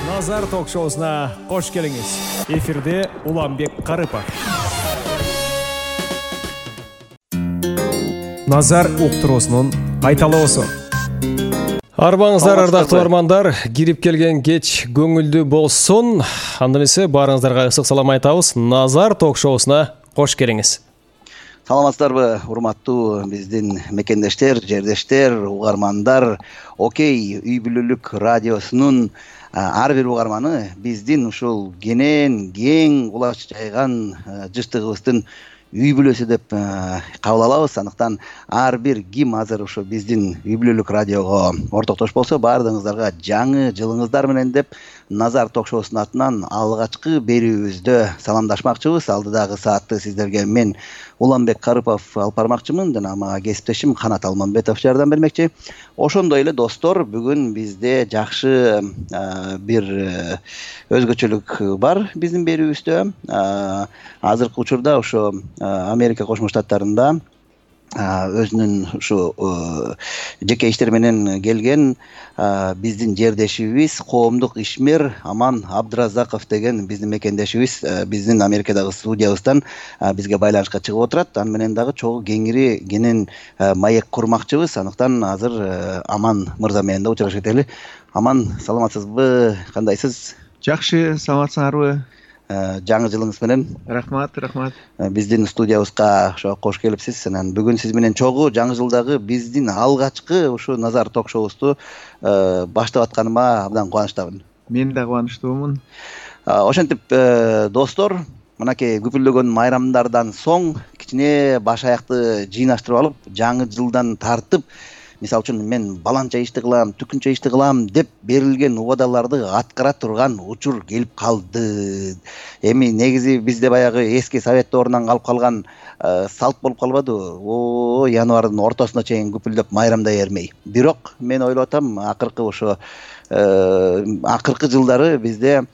Назар ток-шоусуна кош келиңиз. Эфирде Уланбек Карыпов. Назар уктуруусунун кайталоосу. Арбаңыздар, ардактуу армандар, кирип келген кеч көңүлдүү болсун. Анда эмесе баарыңыздарга ысык салам айтабыз. Назар ток-шоусуна кош келиңиз. Саламатсыздарбы, урматтуу биздин мекендештер, жердештер, угармандар. Окей, үй бүлөлүк радиосунун ар бир угарманы биздин ушул кенен, кең кулач жайган жыштыгыбыздын үй бүлөсү деп кабыл алабыз. Андыктан ар бир ким азыр ушу биздин үй бүлөлүк радиого ортоктош болсо, баардыгыңыздарга жаңы жылыңыздар менен деп Назар ток-шоусунун атынан алгачкы берүүбүздө саламдашмакчыбыз. Алдыдагы саатты сиздерге мен Уланбек Карыпов алып бармакчымын жана мага кесиптешим Канат Алманбетов жардам бермекчи. Ошондой эле достор, бүгүн бизде жакшы бир өзгөчөлүк бар биздин берүүбүздө. Азыркы учурда ошо Америка Кошмо Штаттарында өзүнүн ушу жеке иштери менен келген биздин жердешибиз, коомдук ишмер Аман Абдыразаков деген биздин мекендешибиз биздин Америкадагы студиябыздан бизге байланышка чыгып отурат. Аны менен дагы чогуу кеңири кенен маек курмакчыбыз. Андыктан азыр Аман мырза менен да учурашып кетели. Аман, саламатсызбы? Кандайсыз? Жакшы, саламатсыңарбы? Жаңы жылыңыз менен. Рахмат. Биздин студиябызга ошо кош келипсиз. Анан бүгүн сиз менен чогуу жаңы жылдагы биздин алгачкы ушу Назар ток-шоусу баштап атканыма абдан кубанычтамын. Мен да кубанычтуумун. Ошентип, достор, мынакей күпүлдөгөн майрамдардан соң кичине баш аякты жыйнаштырып алып, жаңы жылдан тартып, мисалы үчүн мен баланча ишти кылам, түкүнчө ишти кылам деп берилген убадаларды аткара турган учур келип калды. Эми негизи бизде баягы эски совет доорунан калып калган салт болуп калбадыбы? Январдын ортосуна чейин күпүлдөп майрамдай бермей. Бирок мен ойлоп атам, акыркы жылдары бизде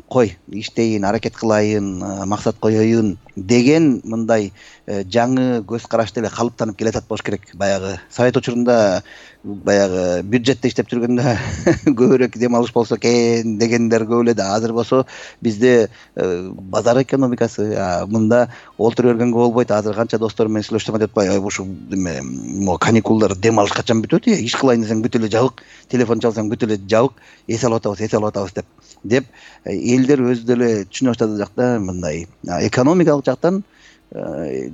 кой иштейин, аракет кылайын, максат коеюн деген мындай жаңы көз карашты эле калыптанып келатат болуш керек. Баягы совет учурунда баягы бюджетте иштеп жүргөндө көбүрөөк дем алыш болсо экен дегендер көп эле да. Азыр болсо бизде базар экономикасы, мында олтура бергенге болбойт. Азыр канча достор менен сүйлөшүп атат, ушу каникулдар дем алыш качан бүтөт? Иш кылайын десең бүт эле жабык, телефон чалсаң бүт эле жабык, эс алып атабыз деп элдер өзү деле түшүнө баштады жакта мындай экономикалык жактан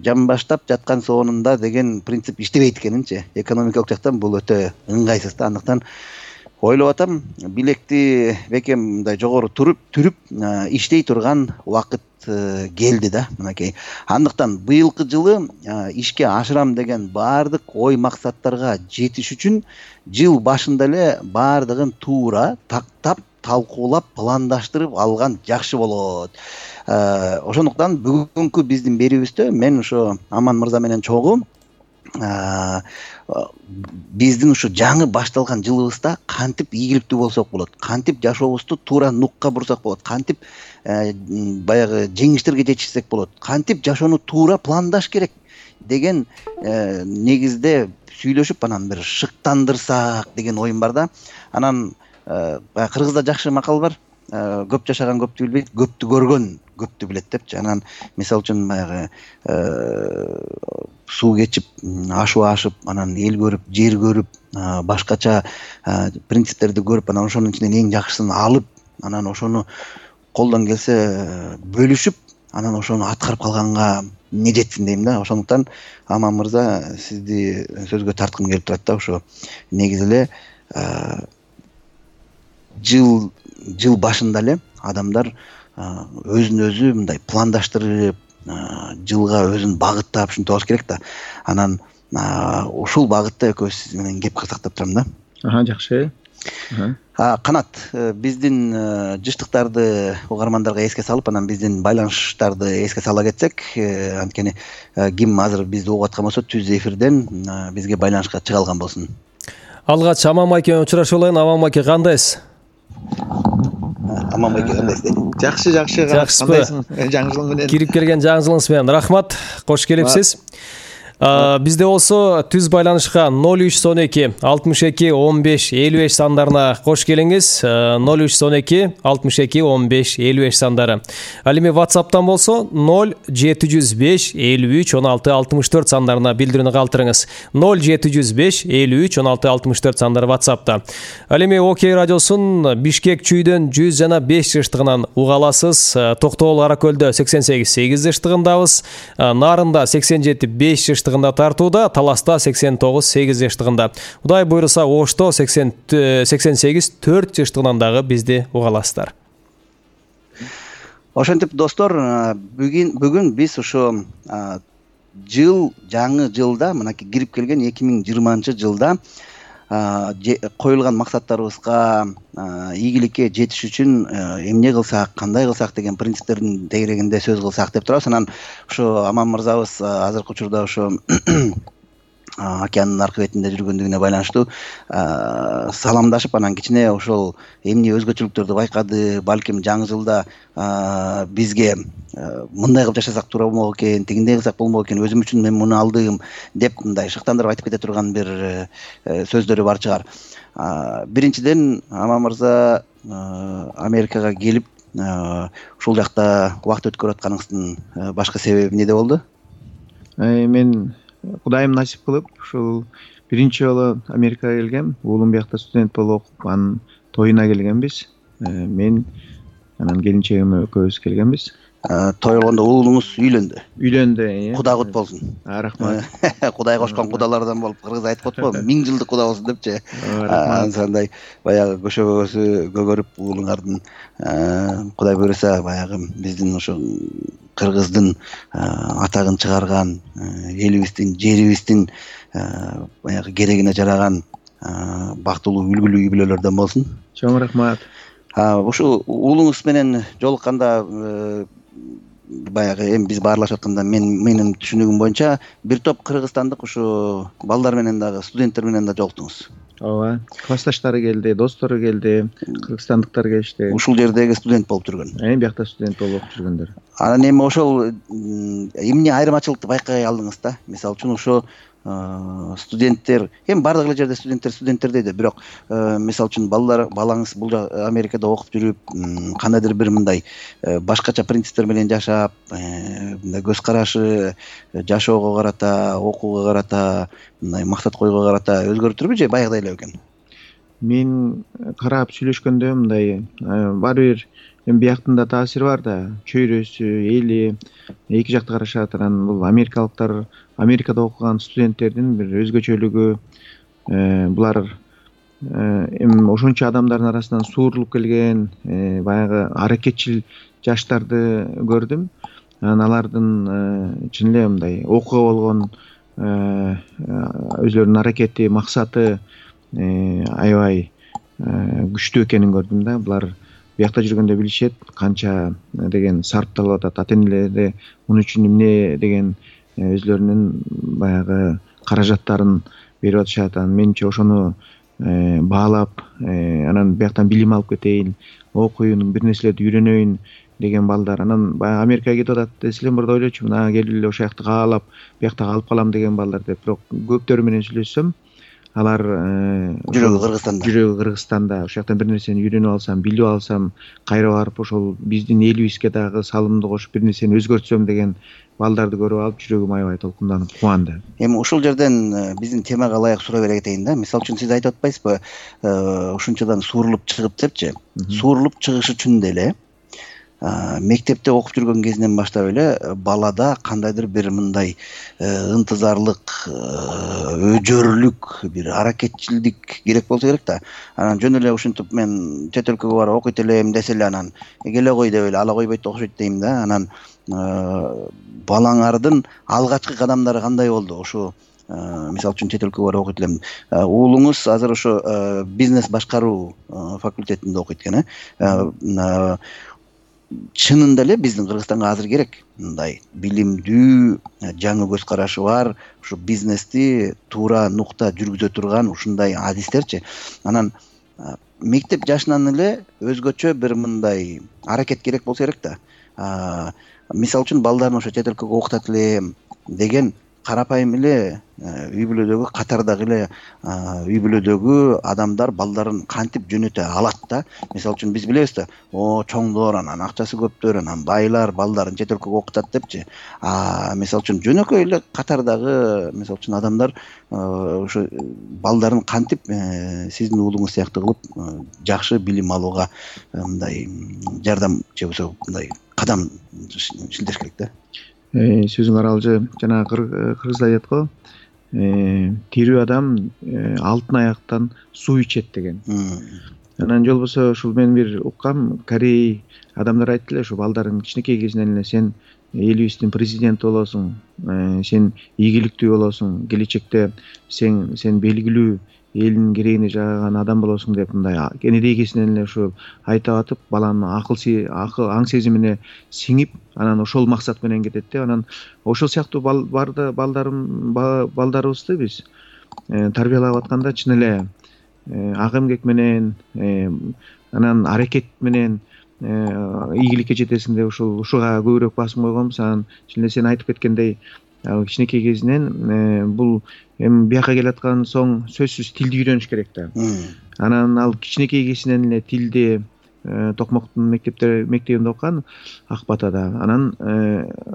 жамбаштап жаткан соонунда деген принцип иштебейт экенинчи. Экономикалык жактан бул өтө ыңгайсыз да. Андыктан ойлоп атам, билекти бекем мындай жогору түрүп иштей турган убакыт келди да, мынакей. Андыктан быйылкы жылы ишке ашырам деген баардык ой максаттарга жетиш үчүн жыл башында эле баардыгын туура тактап, талкуулап, пландаштырып алган жакшы болот. Ошондуктан бүгүнкү биздин берүүбүздө мен ошо Аман мырза менен чогуу биздин ушу жаңы башталган жылыбызда кантип ийгиликтүү болсок болот, кантип жашообузду туура нукка бурсак болот, кантип баягы жеңиштерге жетишсек болот, кантип жашоону туура пландаш керек деген негизде сүйлөшүп, анан бир шыктандырсак деген оюм бар да. Анан кыргызда жакшы макал бар. Көп жашаган көптү билбейт, көптү көргөн көптү билет депчи. Анан мисалы үчүн баягы суу кечип, ашуу ашып, анан эл көрүп, жер көрүп, башкача принциптерди көрүп, анан ошонун ичинен эң жакшысын алып, анан ошону колдон келсе бөлүшүп, анан ошону аткарып калганга эмне жетсин дейм да. Ошондуктан Аман мырза, сизди сөзгө тарткым келип турат да. Ошо негизи эле жыл башында эле адамдар өзүн өзү мындай пландаштырып, жылга өзүн багыттап ушинтип алыш керек да. Анан ушул багытта экөөбүз сиз менен кеп кылсак деп турам да. Жакшы. Канат, биздин жыштыктарды угармандарга эске салып, анан биздин байланыштарды эске сала кетсек, анткени ким азыр бизди угуп аткан болсо түз эфирден бизге байланышка чыга алган болсун. Алгач Аман майке менен учурашып алайын. Аман майке, кандайсыз? Аман майке, кандайсыз? Жакшы. Кандайсың? Жаңы жыл менен. Кирип келген жаңы жылыңыз менен рахмат. Кош келипсиз. Бизде болсо түз байланышка 0312 62 15 55 сандарына кош келиңиз. 0312 62 15 55 сандары. Ал эми WhatsApp'тан болсо 0705 53 16 64 сандарына билдирүүнү калтырыңыз. 0705 53 16 64 сандары WhatsApp'та. Ал эми Окей радиосун Бишкек чүйдөн 100 жана 5 жыштыгынан уга аласыз. Токтогул Аракөлдө 88 жыштыгындабыз. Нарында 87 5 жыштыгында тартууда, Таласта 89 8 жыштыгында. Кудай буйруса Ошто 88 4 жыштыгынан дагы бизди уга аласыздар. Ошентип достор, бүгүн биз ошо жаңы жылда, мынакей кирип келген 2020-жылда коюлган максаттарыбызга, ийгиликке жетиш үчүн эмне кылсак, кандай кылсак деген принциптердин тегерегинде сөз кылсак деп турабыз. Анан ошо Аман мырзабыз азыркы учурда ошо океандын аркы бетинде жүргөндүгүнө байланыштуу саламдашып, анан кичине ошол эмне өзгөчөлүктөрдү байкады, балким жаңы жылда бизге мындай кылып жашасак туура болмок экен, тигиндей кылсак болмок экен, өзүм үчүн мен муну алдым деп мындай шыктандырып айтып кете турган бир сөздөрү бар чыгар. Биринчиден, Аман мырза Америкага келип ушул жакта убакыт өткөрүп атканыңыздын башкы себеби эмнеде болду? Мен Кудайым насип кылып ушул биринчи жолу Америкага келгем. Уулум биякта студент болуп окуп, анын тоюна келгенбиз. Мен анан келинчегим экөөбүз келгенбиз. Той болгондо уулуңуз үйлөндү. Үйлөндү. Куда кут болсун. Рахмат. Кудай кошкон кудалардан болуп, кыргыз айтып атпайбы, 1000 жылдык куда болсун депчи. Ансандай баягы көшөгөсү көгөрүп уулуңардын Кудай буйруса баягы биздин ошо кыргыздын атагын чыгарган, элибиздин, жерибиздин баягы керегине жараган бактылуу, үлгүлүү үй бүлөлөрдөн болсун. Чоң рахмат. Ушул уулуңуз менен жолукканда баягы эми биз баарлашып атканда менин түшүнүгүм боюнча бир топ кыргызстандык ушу балдар менен дагы, студенттер менен да жолуктуңуз. Ооба, классташтары келди, достору келди, кыргызстандыктар келишти. Ушул жердеги студент болуп жүргөн. Биякта студент болуп окуп жүргөндөр. Анан эми ошол эмне айырмачылыкты байкай алдыңыз да? Мисалы үчүн ошо студенттер, эми бардык эле жерде студенттер дейт, бирок мисалы үчүн балаңыз бул Америкада окуп жүрүп, кандайдыр бир мындай башкача принциптер менен жашап, мындай көз карашы жашоого карата, окууга карата, мындай максат коюуга карата өзгөрүп турбу же баягыдай эле экен? Мен карап сүйлөшкөндө мындай баары бир эми бияктын да таасири бар да, чөйрөсү, эли эки жакты карашат. Анан бул америкалыктар, Америкада окуган студенттердин бир өзгөчөлүгү, булар эми ошончо адамдардын арасынан суурулуп келген, баягы аракетчил жаштарды көрдүм. Анан алардын чын эле мындай окууга болгон өзлөрүнүн аракети, максаты аябай күчтүү экенин көрдүм да. Булар биякта жүргөндө билишет канча деген сарпталып атат, ата-энелери муну үчүн эмне деген өзлөрүнүн баягы каражаттарын берип атышат. Анан менимче ошону баалап, анан бияктан билим алып кетейин, окуйн, бир нерселерди үйрөнөйүн деген балдар. Анан баягы Америкага кетип атат десем, мурда ойлочумун, келип эле ошол жакты каалап, биякта калып калам деген балдар деп. Бирок көптөрү менен сүйлөшсөм, алар жүрөгү Кыргызстанда, ошол жактан бир нерсени үйрөнүп алсам, билип алсам, кайра барып ошол биздин элибизге дагы салымды кошуп бир нерсени өзгөртсөм деген балдарды көрүп алып, жүрөгүм аябай толкунданып, кубанды. Эми ушул жерден биздин темага ылайык суроо бере кетейин да. Мисалы үчүн сиз айтып атпайсызбы, ушунчадан суурулуп чыгып депчи. Суурулуп чыгыш үчүн деле мектепте окуп жүргөн кезинен баштап эле балада кандайдыр бир мындай ынтызарлык, өжөрлүк, бир аракетчилдик керек болсо керек да. Анан жөн эле ушинтип мен чет өлкөгө барып окуйт элем десе эле анан келе кой деп эле ала койбойт окшойт дейм да. Анан балаңардын алгачкы кадамдары кандай болду? Ошо мисалы үчүн чет өлкөгө барып окуйт элем. Уулуңуз азыр ошо бизнес башкаруу факультетинде окуйт экен, чынында эле биздин Кыргызстанга азыр керек мындай билимдүү, жаңы көз карашы бар, ушу бизнести туура нукта жүргүзө турган ушундай адистерчи. Анан мектеп жашынан эле өзгөчө бир мындай аракет керек болсо керек да. Мисалы үчүн балдарын ошо чет өлкөгө окутат элем деген карапайым эле үй бүлөдөгү катардагы эле үй бүлөдөгү адамдар балдарын кантип жөнөтө алат да. Мисалы үчүн биз билебиз да, чоңдор анан акчасы көптөр, анан байлар балдарын чет өлкөгө окутат депчи. Мисалы үчүн жөнөкөй эле катардагы мисалы үчүн адамдар ошо балдарын кантип сиздин уулуңуз сыяктуу кылып жакшы билим алууга мындай жардам же болбосо мындай кадам шилтеш керек да. Сөзүң аралжы. Жана кыргызда айтат го, тирүү адам алтын аяктан суу ичет деген. Анан же болбосо ушул мен бир уккам, Корей адамдар айтты эле, ушу балдарын кичинекей кезинен эле сен элибиздин президенти болосуң, сен ийгиликтүү болосуң, келечекте сен белгилүү элдин керегине жаган адам болосуң деп мындай кенедей кезинен эле ушул айтып атып, баланын аң сезимине сиңип, анан ошол максат менен кетет да. Анан ошол сыяктуу балдарыбызды биз тарбиялап атканда чын эле ак эмгек менен, анан аракет менен ийгиликке жетесиң деп ушуга көбүрөөк басым койгонбуз. Анан чын эле сен айтып кеткендей, кичинекей кезинен бул эми бияка келаткан соң сөзсүз тилди үйрөнүш керек да. Анан ал кичинекей кезинен эле тилди Токмоктун мектебинде окуган, Ак Батада. Анан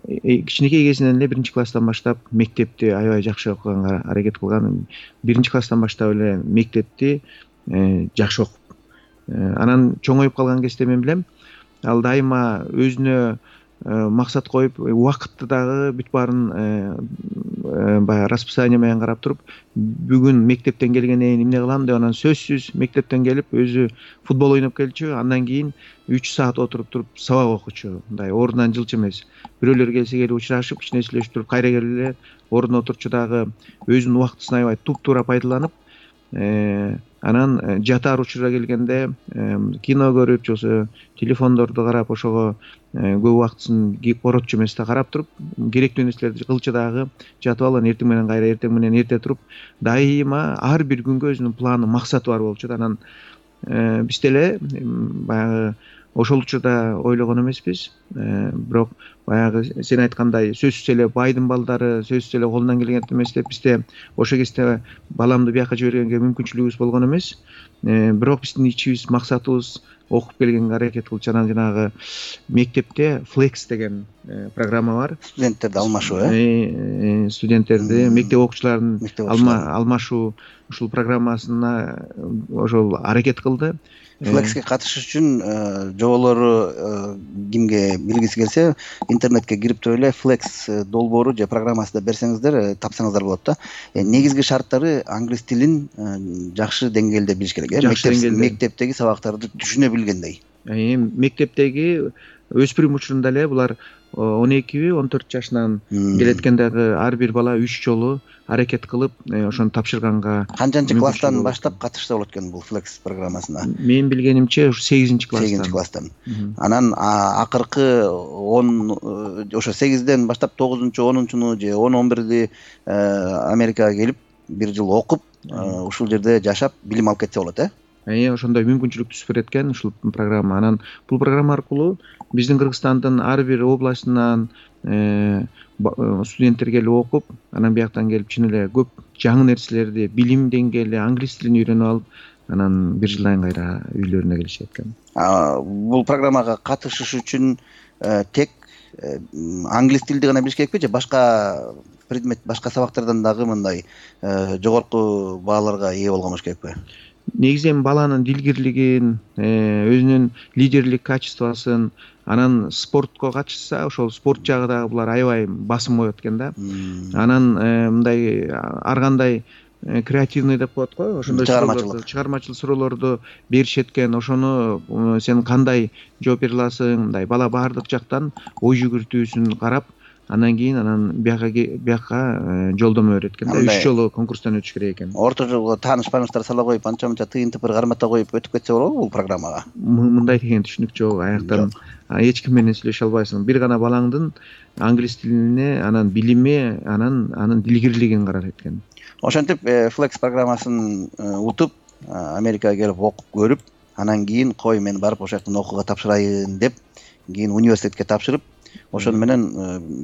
кичинекей кезинен эле 1-класстан баштап мектепти аябай жакшы окуганга аракет кылган. 1-класстан баштап эле мектепти жакшы окуп, анан чоңоюп калган кезде мен билем, ал дайыма өзүнө максат коюп, убакытты дагы бүт баарын баягы расписание менен карап туруп, бүгүн мектептен келгенден кийин эмне кылам деп, анан сөзсүз мектептен келип өзү футбол ойноп келчү, андан кийин 3 саат отуруп туруп сабак окучу. Мындай ордунан жылчу эмес. Бирөөлөр келсе келип учурашып, кичине сүйлөшүп туруп кайра келип эле ордуна отурчу, дагы өзүнүн убактысын аябай туп-туура пайдаланып, анан жатаар учурда келгенде кино көрүп, же болбосо телефондорду карап, ошого көп убактысын коротчу эмес да карап туруп, керектүү нерселерди кылчу, дагы жатып алып, анан эртең менен кайра, эртең менен эрте туруп, дайыма ар бир күнгө өзүнүн планы, максаты бар болчу да. Анан биз деле баягы ошол учурда ойлогон эмеспиз, бирок баягы сен айткандай сөзсүз эле байдын балдары сөзсүз эле колунан келген эмес деп, бизде ошол кезде баламды бияка жибергенге мүмкүнчүлүгүбүз болгон эмес, бирок биздин ичибиз, максатыбыз окуп келгенге аракет кылчу. Анан жанагы мектепте Flex деген программа бар. Студенттерди алмашуу, студенттерди, мектеп окуучуларын алмашуу, ушул программасына ошол аракет кылды. Flex'ке катышыш үчүн жоболору кимге билгиси келсе, интернетке кирип туруп эле Flex долбоору же программасында берсеңиздер, тапсаңыздар болот да. Негизги шарттары англис тилин жакшы деңгээлде билиш керек, мектептеги сабактарды түшүнө билгендей. Мектептеги өспүрүм учурунда эле булар 12-14 жашынан келеткен, дагы ар бир бала 3 жолу аракет кылып ошону тапшырганга. Канчанчы класстан баштап катышса болот экен бул Flex программасына? Мен билгенимче 8-класстан. 8-класстан. Анан акыркы 10 ошо 8ден баштап 9-10-чуну же 10-11ди Америкага келип 1 жыл окуп, ушул жерде жашап билим алып кетсе болот, ошондой мүмкүнчүлүк түзүп берет экен ушул программа. Анан бул программа аркылуу биздин Кыргызстандын ар бир областынан студенттер келип окуп, анан бияктан келип чын эле көп жаңы нерселерди, билим деңгээли, англис тилин үйрөнүп алып, анан 1 жылдан кайра үйлөрүнө келишет экен. Бул программага катышыш үчүн тек англис тилди гана билиш керекпи, же башка предмет, башка сабактардан дагы мындай жогорку бааларга ээ болгон болуш керекпи? Негизи эми баланын дилгирлигин, өзүнүн лидерлик качествосын, анан спортко катышса, ошол спорт жагы дагы булар аябай басым коет экен да. Анан мындай ар кандай креативный деп коет го, ошондой чыгармачыл суроолорду беришет экен. Ошону сен кандай жооп бере аласың, мындай бала баардык жактан ой жүгүртүүсүн карап, андан кийин бияка жолдомо берет экен да. 3 жолу конкурстан өтүш керек экен. Орто жолго тааныш-бааныштар сала коюп, анча-мынча тыйын-тыпыр кармата коюп өтүп кетсе болобу бул программага? Мындай деген түшүнүк жок. Аяктан эч ким менен сүйлөшө албайсың. Бир гана балаңдын англис тилине, анан билими, анын дилгирлигин карар экен. Ошентип Flex программасын утуп, Америкага келип окуп көрүп, анан кийин кой мен барып ошол жактан окууга тапшырайын деп, кийин университетке тапшырып, ошону менен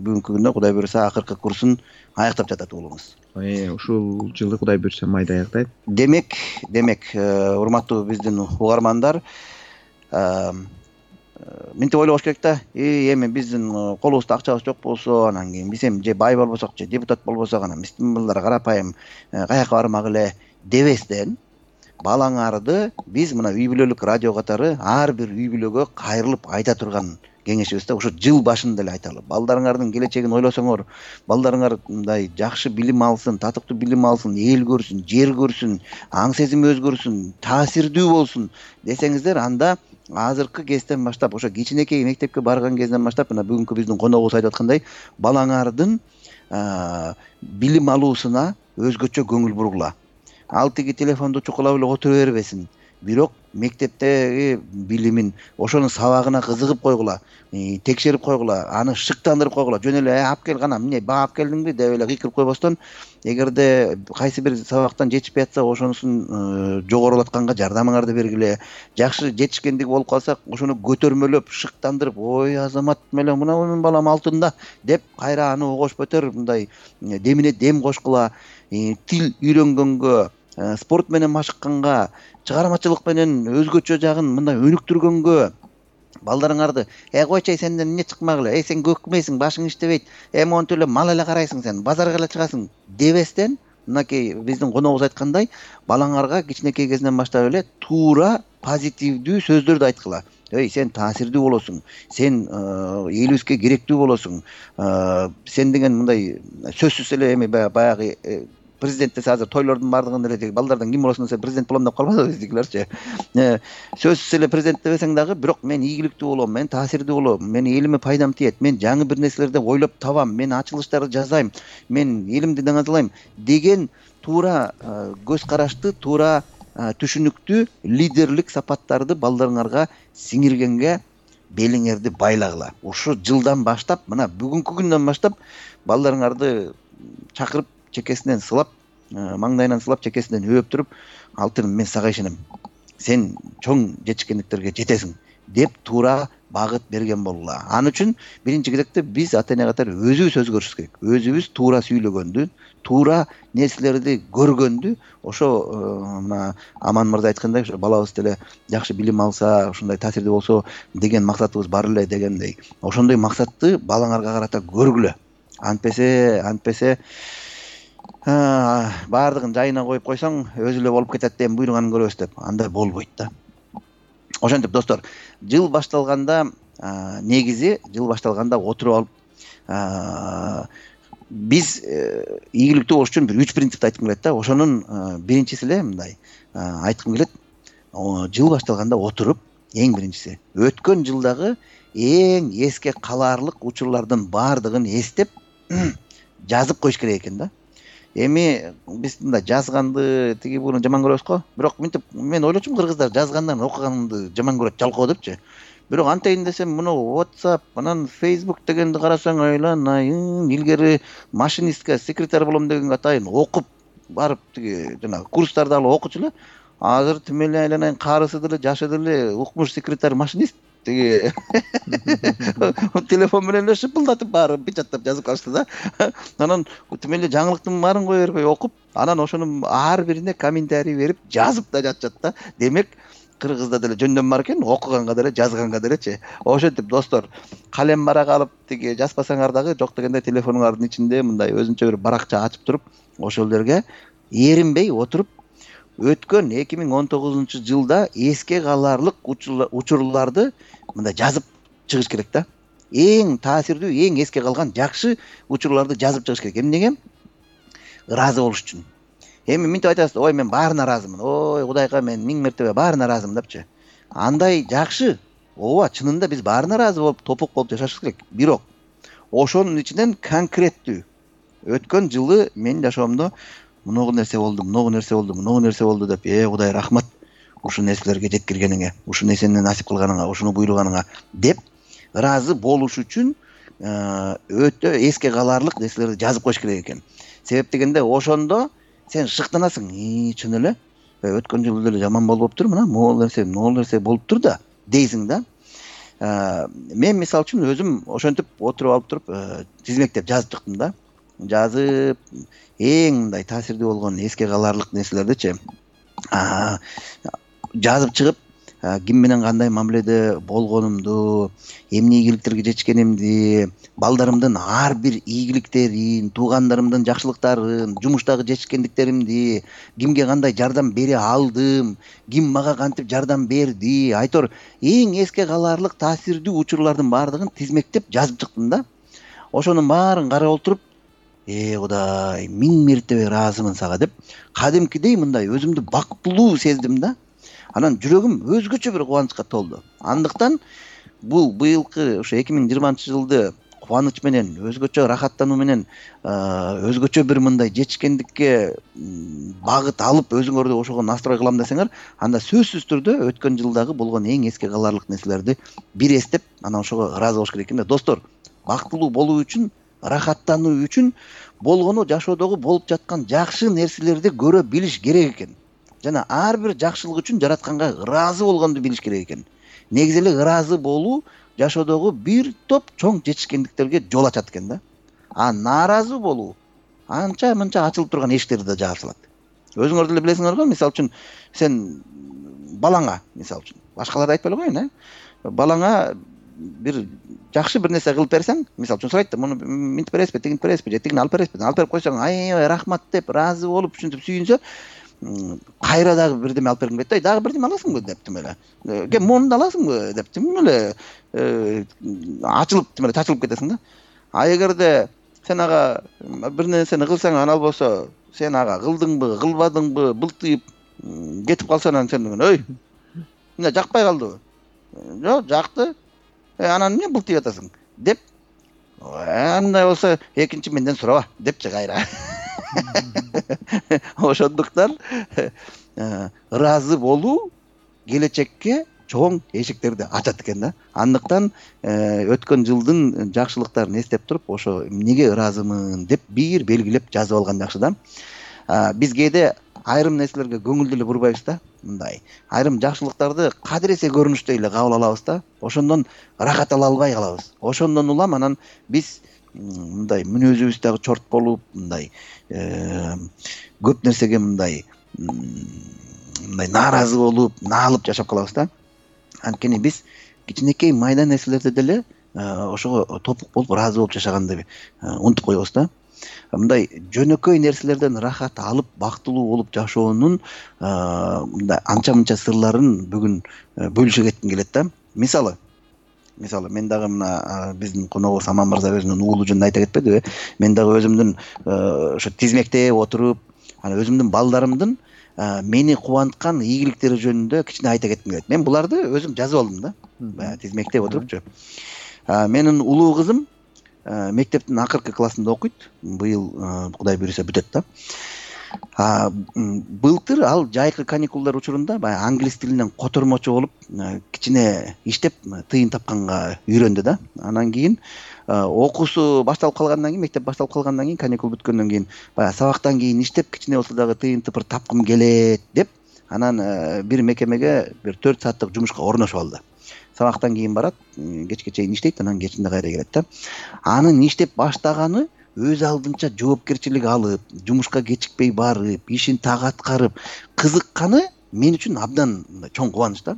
бүгүнкү күндө Кудай буюрса акыркы курсун аяктап жатат уулуңуз. Ушул жылы Кудай буюрса майда аяктайт. Демек, урматтуу биздин угармандар, мынтип ойлобош керек да. Эми биздин колубузда акчабыз жок болсо, анан кийин биз эми же бай болбосок, же депутат болбосок, анан биздин балдар карапайым каяка бармак эле дебестен, балаңарды биз мына үй бүлөлүк радио катары ар бир үй бүлөгө кайрылып айта турган кеңешибизде ушу жыл башында эле айталы. Балдарыңардын келечегин ойлосоңор, балдарыңар мындай жакшы билим алсын, татыктуу билим алсын, эл көрсүн, жер көрсүн, аң сезими өзгөрсүн, таасирдүү болсун десеңиздер, анда азыркы кезден баштап, ошо кичинекей мектепке барган кезден баштап, мына бүгүнкү биздин коногубуз айтып аткандай, балаңардын билим алуусуна өзгөчө көңүл бургула. Ал тиги телефонду чукулап эле отура бербесин. Бирок мектептеги билимин, ошонун сабагына кызыгып койгула, текшерип койгула, аны шыктандырып койгула. Жөн эле алып кел гана, эмне баа алып келдиңби деп эле кыйкырып койбостон, эгерде кайсы бир сабактан жетишпей атса, ошонусун жогорулатканга жардамыңарды бергиле. Жакшы жетишкендиги болуп калса, ошону көтөрмөлөп, шыктандырып, ой Азамат меле мына менин балам алтында деп кайра аны огошпотор, мындай демине дем кошкула. Тил үйрөнгөнгө, спорт менен машыкканга, чыгармачылык менен өзгөчө жагын мындай өнүктүргөнгө балдарыңарды койчай сенден эмне чыкмак эле, сен көкмөйсүң, башың иштебейт, монтип эле мал эле карайсың сен, базарга эле чыгасың дебестен, мынакей биздин коногубуз айткандай, балаңарга кичинекей кезинен баштап эле туура позитивдүү сөздөрдү айткыла. Сен таасирдүү болосуң, сен элибизге керектүү болосуң, сен деген мындай сөзсүз эле эми баягы президент десе азыр тойлордун баардыгында эле балдардан ким болосуң десе президент болом деп калбайбы биздикилерчи. Сөзсүз эле президент дебесең дагы, бирок мен ийгиликтүү болом, мен таасирдүү болом, мен элиме пайдам тиет, мен жаңы бир нерселерди ойлоп табам, мен ачылыштарды жасайм, мен элимди даңазалайм деген туура көз карашты, туура түшүнүктүү лидерлик сапаттарды балдарыңарга сиңиргенге белиңерди байлагыла. Ушу жылдан баштап, мына бүгүнкү күндөн баштап балдарыңарды чакырып, чекесинен сылап, маңдайынан сылап, чекесинен өп туруп, алтыным мен сага ишенем, сен чоң жетишкендиктерге жетесиң деп туура багыт берген болула. Аны үчүн биринчи кезекте биз ата-эне катары өзүбүз өзгөрүшүбүз керек. Өзүбүз туура сүйлөгөндү, туура нерселерди көргөндү, ошо мына Аман мырза айткандай, ошо балабыз деле жакшы билим алса, ушундай таасирдүү болсо деген максатыбыз бар эле дегендей. Ошондой максатты балаңарга карата көргүлө. Антпесе баардыгын жайына коюп койсоң, өзү эле болуп кетет деп буйруганын көрөбүз деп. Андай болбойт да. Ошентип достор, жыл башталганда негизи жыл башталганда отуруп алып биз ийгиликтүү болуш үчүн бир 3 принципти айткым келет да. Ошонун биринчиси эле мындай айткым келет. Жыл башталганда отуруп, эң биринчиси өткөн жылдагы эң эске калаарлык учурлардын баардыгын эстеп жазып коюш керек экен да. Эми биз мындай жазганды тиги буну жаман көрөбүз го. Бирок мынтип мен ойлочумун, кыргыздар жазгандан окуганды жаман көрөт, жалкоо депчи. Бирок антейин десем, муну WhatsApp, анан Facebook дегенди карасаң, айланайын, илгери машинистке, секретарь болом дегенге атайын окуп барып тиги жана курстарды алып окучу эле. Азыр тим эле айланайын, карысы деле, жашы деле укмуш секретарь машинист тиги телефон менен эле шыпылдатып баары печаттап жазып калышты да. Анан тим эле жаңылыктын баарын кое бербей окуп, анан ошонун ар бирине комментарий берип жазып да жатышат да. Демек кыргызда деле жөндөн бар экен, окуганга деле, жазганга делечи. Ошентип достор, калем барак алып тиги жазбасаңар дагы, жок дегенде телефонуңардын ичинде мындай өзүнчө бир баракча ачып туруп, ошол жерге эринбей отуруп өткөн 2019 жылда эске калаарлык учурларды мындай жазып чыгыш керек да. Эң таасирдүү, эң эске калган жакшы учурларды жазып чыгыш керек. Эмнеге? Ыраазы болуш үчүн. Эми мынтип айтасыз, ой мен баарына ыраазымын. Ой Кудайга мен 1000 мертебе баарына ыраазымын депчи. Андай жакшы. Ооба, чынында биз баарына ыраазы болуп, топук болуп жашашыбыз керек. Бирок ошонун ичинен конкреттүү өткөн жылы мен жашоомдо мыногу нерсе болду, мыногу нерсе болду, мыногу нерсе болду деп, Кудай рахмат ушул нерселерге жеткиргениңе, ушул нерсени насип кылганыңа, ушуну буйруганыңа деп ыраазы болуш үчүн өтө эске калаарлык нерселерди жазып коюш керек экен. Себеп дегенде ошондо сен шыктанасың, чын эле өткөн жылы деле жаман болуптур, мына могул нерсе болуптур да дейсиң да. мен мисалы үчүн өзүм ошентип отуруп алып туруп тизмектеп жазып чыктым да. Жазып эң мындай таасирдүү болгон эске каларлык нерселердичи жазып чыгып, ким менен кандай мамиледе болгонумду, эмне ийгиликтерге жетишкенимди, балдарымдын ар бир ийгиликтерин, туугандарымдын жакшылыктарын, жумуштагы жетишкендиктеримди, кимге кандай жардам бере алдым, ким мага кантип жардам берди, айтор эң эске каларлык таасирдүү учурлардын баардыгын тизмектеп жазып чыктым да. Ошонун баарын карап отуруп, Кудай, 1000 мертебе ыраазымын сага деп, кадимкидей мындай өзүмдү бактылуу сездим да. Анан жүрөгүм өзгөчө бир кубанычка толду. Андыктан бул быйылкы ошо 2020-жылды кубаныч менен, өзгөчө рахаттануу менен, өзгөчө бир мындай жетишкендикке багыт алып өзүңөрдү ошого настрой кылам десеңер, анда сөзсүз түрдө өткөн жылдагы болгон эң эске каларлык нерселерди бир эстеп, анан ошого ыраазы болуш керек экен да. Достор, бактылуу болуу үчүн, рахаттануу үчүн болгону жашоодогу болуп жаткан жакшы нерселерди көрө билиш керек экен. Жана ар бир жакшылык үчүн жаратканга ыраазы болгонду билиш керек экен. Негизи эле ыраазы болуу жашоодогу бир топ чоң жетишкендиктерге жол ачат экен да. Нааразы болуу анча-мынча ачылып турган эшиктерди да жаап салат. Өзүңөр деле билесиңер го, мисалы үчүн сен балаңа, мисалы үчүн, башкаларды айтпай эле коеюн, балаңа бир жакшы бир нерсе кылып берсең, мисалы үчүн сурайт да, муну минтип бересизби, тигинтип бересизби, же тигини алып бересизби, алып берип койсоң, аябай рахмат деп, ыраазы болуп, ушинтип сүйүнсө, кайра дагы бирдеме алып бергим келет, дагы бирдеме аласыңбы деп, тим эле. Кем муну аласыңбы деп, тим эле ачылып, тим эле чачылып кетесиң да. Эгерде сен ага бир нерсени кылсаң, анан болсо сен ага кылдыңбы, кылбадыңбы, былтыйып кетип калса, анан сен ой, эмне жакпай калдыбы? Жок, жакты. Анан эмне былтыйып атасың деп, андай болсо экинчи менден сураба депчи кайра. Ошондуктан ыраазы болуу келечекке чоң эшиктерди ачат экен да. Андыктан өткөн жылдын жакшылыктарын эстеп туруп, ошо эмнеге ыраазымын деп бир белгилеп жазып алган жакшы да. Биз кээде айрым нерселерге көңүл деле бурбайбыз да. Мындай айрым жакшылыктарды кадыресе көрүнүштөй эле кабыл алабыз да. Ошондон рахат ала албай калабыз. Ошондон улам анан биз мындай мүнөзүбүз дагы чорт болуп, мындай көп нерсеге мындай нааразы болуп, наалып жашап калабыз да. Анткени биз кичинекей майда нерселерде деле ошого топук болуп, ыраазы болуп жашаганды унутуп коебуз да. Мындай жөнөкөй нерселерден рахат алып, бактылуу болуп жашоонун мындай анча-мынча сырларын бүгүн бөлүшө кетким келет да. Мисалы мен дагы мына биздин коногубуз Аман мырза өзүнүн уулу жөнүндө айта кетпедиби? Мен дагы өзүмдүн ошо тизмектеп отуруп, анан өзүмдүн балдарымдын мени кубанткан ийгиликтери жөнүндө кичине айта кетким келет. Мен буларды өзүм жазып алдым да. Баягы тизмектеп отурупчу. Менин улуу кызым мектептин акыркы классында окуйт. Быйыл Кудай буйруса бүтөт да. Былтыр ал жайкы каникулдар учурунда баягы англис тилинен котормочу болуп, кичине иштеп тыйын тапканга үйрөндү да. Анан кийин окуусу башталып калгандан кийин, мектеп башталып калгандан кийин, каникул бүткөндөн кийин баягы сабактан кийин иштеп, кичине болсо дагы тыйын тыпыр тапкым келет деп, анан бир мекемеге бир 4 сааттык жумушка орношуп алды. Сабактан кийин барат, кечке чейин иштейт, анан кечинде кайра келет да. Анын иштеп баштаганы өз алдынча жоопкерчилик алып, жумушка кечикпей барып, ишин так аткарып, кызыкканы мен үчүн абдан чоң кубаныч да.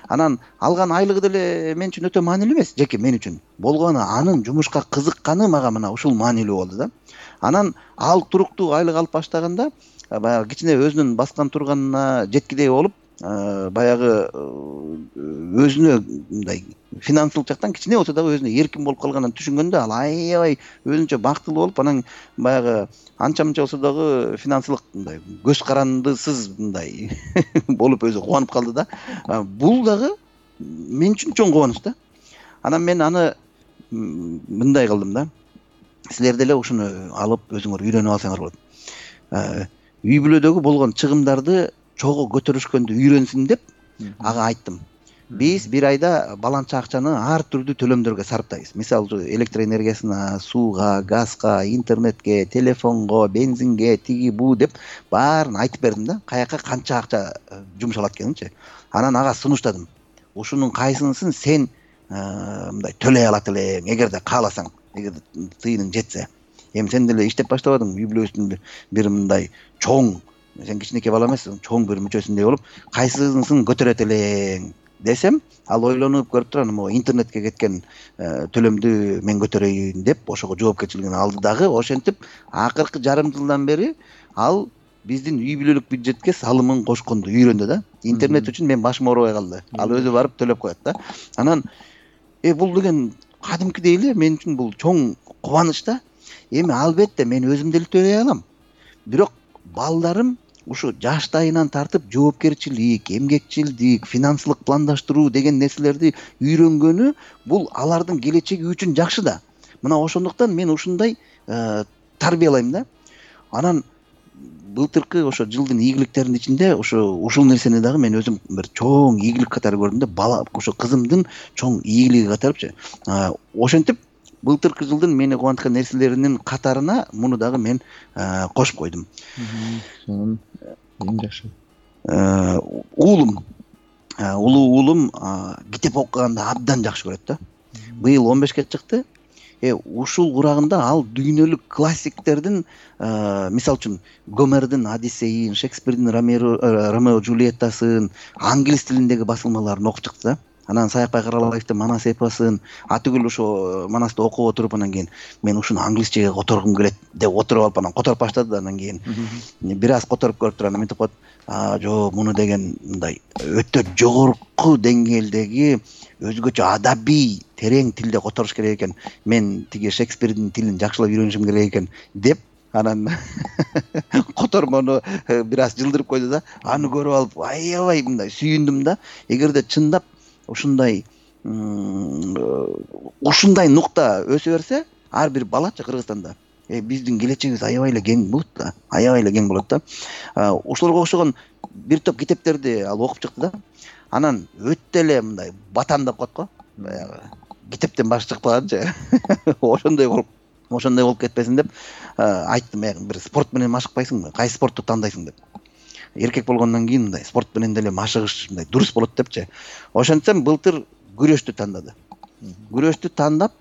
Анан алган айлыгы деле мен үчүн өтө маанилүү эмес, жеке мен үчүн. Болгону анын жумушка кызыкканы мага мына ушул маанилүү болду да. Анан ал туруктуу айлык алып баштаганда, баягы кичине өзүнүн баскан турганына жеткидей болуп, баягы өзүнө мындай финансылык жактан кичине болсо дагы өзүнө эркин болуп калганын түшүнгөндө ал аябай өзүнчө бактылуу болуп, анан баягы анча-мынча болсо дагы финансылык мындай көз карандысыз мындай болуп өзү кубанып калды да. Бул дагы мен үчүн чоң кубаныч да. Анан мен аны мындай кылдым да. Силер деле ушуну алып өзүңөр үйрөнүп алсаңар болот. Үй бүлөдөгү болгон чыгымдарды чогуу көтөрүшкөндү үйрөнсүн деп ага айттым. Биз бир айда баланча акчаны ар түрдүү төлөмдөргө сарптайбыз. Мисалы, электр энергиясына, сууга, газга, интернетке, телефонго, бензинге, тиги бу деп баарын айтып бердим да. Каяка канча акча жумшалат экенинчи. Анан ага сунуштадым. Ушунун кайсынысын сен мындай төлөй алат элең, эгерде кааласаң, эгерде тыйының жетсе. Эми сен деле иштеп баштабадың, үй бүлөсүнүн бир мындай чоң, сен кичинекей бала эмессиң, чоң бир мүчөсүндөй болуп, кайсысын көтөрөт элең десем, ал ойлонуп көрүп турам, могу интернетке кеткен төлөмдү мен көтөрөйүн деп ошого жоопкерчилигин алды дагы. Ошентип акыркы жарым жылдан бери ал биздин үй бүлөлүк бюджетке салымын кошконду үйрөндү да. Интернет үчүн мен башым оорубай калды. Ал өзү барып төлөп коет да. Анан бул деген кадимкидей эле мен үчүн бул чоң кубаныч да. Эми албетте мен өзүм деле төлөй алам. Бирок балдарым ушу жаштайынан тартып жоопкерчилик, эмгекчилдик, финансылык пландаштыруу деген нерселерди үйрөнгөнү бул алардын келечеги үчүн жакшы да. Мына ошондуктан мен ушундай тарбиялайм да. Анан былтыркы ошо жылдын ийгиликтеринин ичинде ушул нерсени дагы мен өзүм бир чоң ийгилик катары көрдүм да. Бала ошо кызымдын чоң ийгилиги катарычы. Ошентип былтыркы жылдын мени кубанткан нерселеринин катарына муну дагы мен кошуп койдум. Жакшы. Уулум, улуу уулум китеп окуганды абдан жакшы көрөт да. Быйыл 15ке чыкты. Ушул курагында ал дүйнөлүк классиктердин, мисалы үчүн Гомердин Одиссейин, Шекспирдин Ромео Джульеттасын, англис тилиндеги басылмаларын окуп чыкты да. Анан Саякбай Каралаевдин Манас эпосун, атүгүл ошо Манасты окуп отуруп, анан кийин мен ушуну англисчеге которгум келет деп отуруп алып, анан которуп баштады да. Анан кийин бир аз которуп көрүп туруп, анан мынтип коет, жок, муну деген мындай өтө жогорку деңгээлдеги өзгөчө адабий терең тилде которуш керек экен. Мен тиги Шекспирдин тилин жакшылап үйрөнүшүм керек экен деп, анан котормону бир аз жылдырып койду да. Аны көрүп алып аябай мындай сүйүндүм да. Эгерде чындап ушундай нукта өсө берсе, ар бир балачы Кыргызстанда биздин келечегибиз аябай эле кең болот да. Аябай эле кең болот да. Ошолорго окшогон бир топ китептерди ал окуп чыкты да. Анан өтө эле мындай батан деп коет го. Баягы китептен башы чыкпаганчы. Ошондой болуп кетпесин деп айттым, бир спорт менен машыкпайсыңбы? Кайсы спортту тандайсың деп. Эркек болгондон кийин мындай спорт менен деле машыгыш мындай дурус болот депчи. Ошентсем былтыр күрөштү тандады. Күрөштү тандап,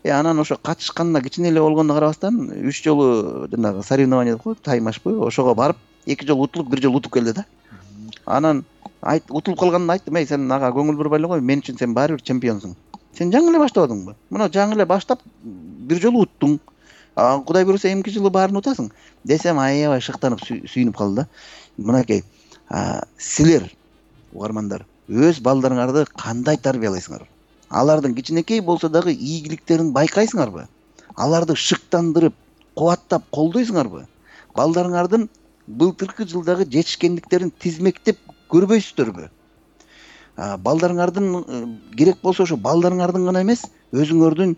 анан ошо катышканына кичине эле болгонуна карабастан 3 жолу жанагы соревнование деп коет, таймашпы, ошого барып 2 жолу утулуп, 1 жолу утуп келди да. Анан утулуп калганын айттым, сен ага көңүл бурбай эле кой, мен үчүн сен баары бир чемпионсуң. Сен жаңы эле баштабадыңбы? Мына жаңы эле баштап 1 жолу уттуң. Кудай буйруса эмки жылы баарын утасың десем, аябай шыктанып сүйүнүп калды да. Мынакей, силер угармандар өз балдарыңарды кандай тарбиялайсыңар? Алардын кичинекей болсо дагы ийгиликтерин байкайсыңарбы? Аларды шыктандырып, кубаттап колдойсуңарбы? Балдарыңардын былтыркы жылдагы жетишкендиктерин тизмектеп көрбөйсүздөрбү? Балдарыңардын керек болсо ошо балдарыңардын гана эмес, өзүңөрдүн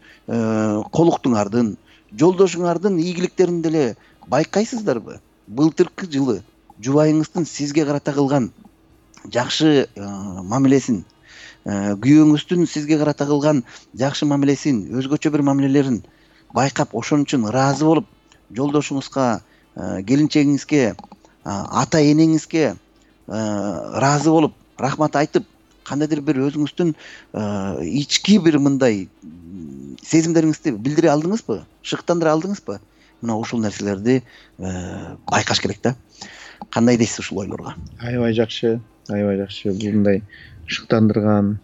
колуктуңардын, жолдошуңардын ийгиликтерин деле байкайсыздарбы? Былтыркы жылы жубайыңыздын сизге карата кылган жакшы мамилесин, күйөөңүздүн сизге карата кылган жакшы мамилесин, өзгөчө бир мамилелерин байкап, ошон үчүн ыраазы болуп, жолдошуңузга, келинчегиңизге, ата энеңизге ыраазы болуп, рахмат айтып, кандайдыр бир өзүңүздүн ички бир мындай сезимдериңизди билдире алдыңызбы? Шыктандыра алдыңызбы? Мына ушул нерселерди байкаш керек да. Кандай дейсиз ушул ойлорго? Аябай жакшы. Бул мындай шыктандырган,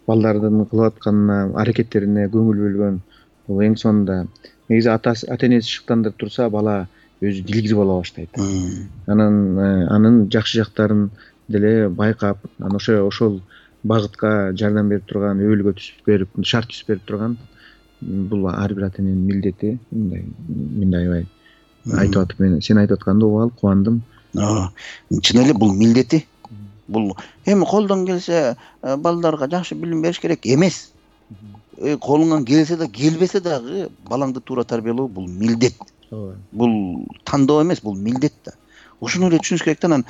балдардын кылып атканына, аракеттерине көңүл бөлгөн. Бул эң сонунда негизи ата энеси шыктандырып турса, бала өзү дилгиз боло баштайт. Анын жакшы жактарын деле байкап, анан ошол багытка жардам берип турган, өбөлгө түзүп берип, шарт түзүп берип турган, бул ар бир ата эненин милдети. Мен аябай айтып атып, сен айтып атканды угуп алып кубандым. Чын эле бул милдети. Бул эми колдон келсе балдарга жакшы билим бериш керек эмес. Колуңан келсе да келбесе дагы балаңды туура тарбиялоо бул милдет. Бул тандоо эмес, бул милдет да. Ушуну эле түшүнүш керек да. Анан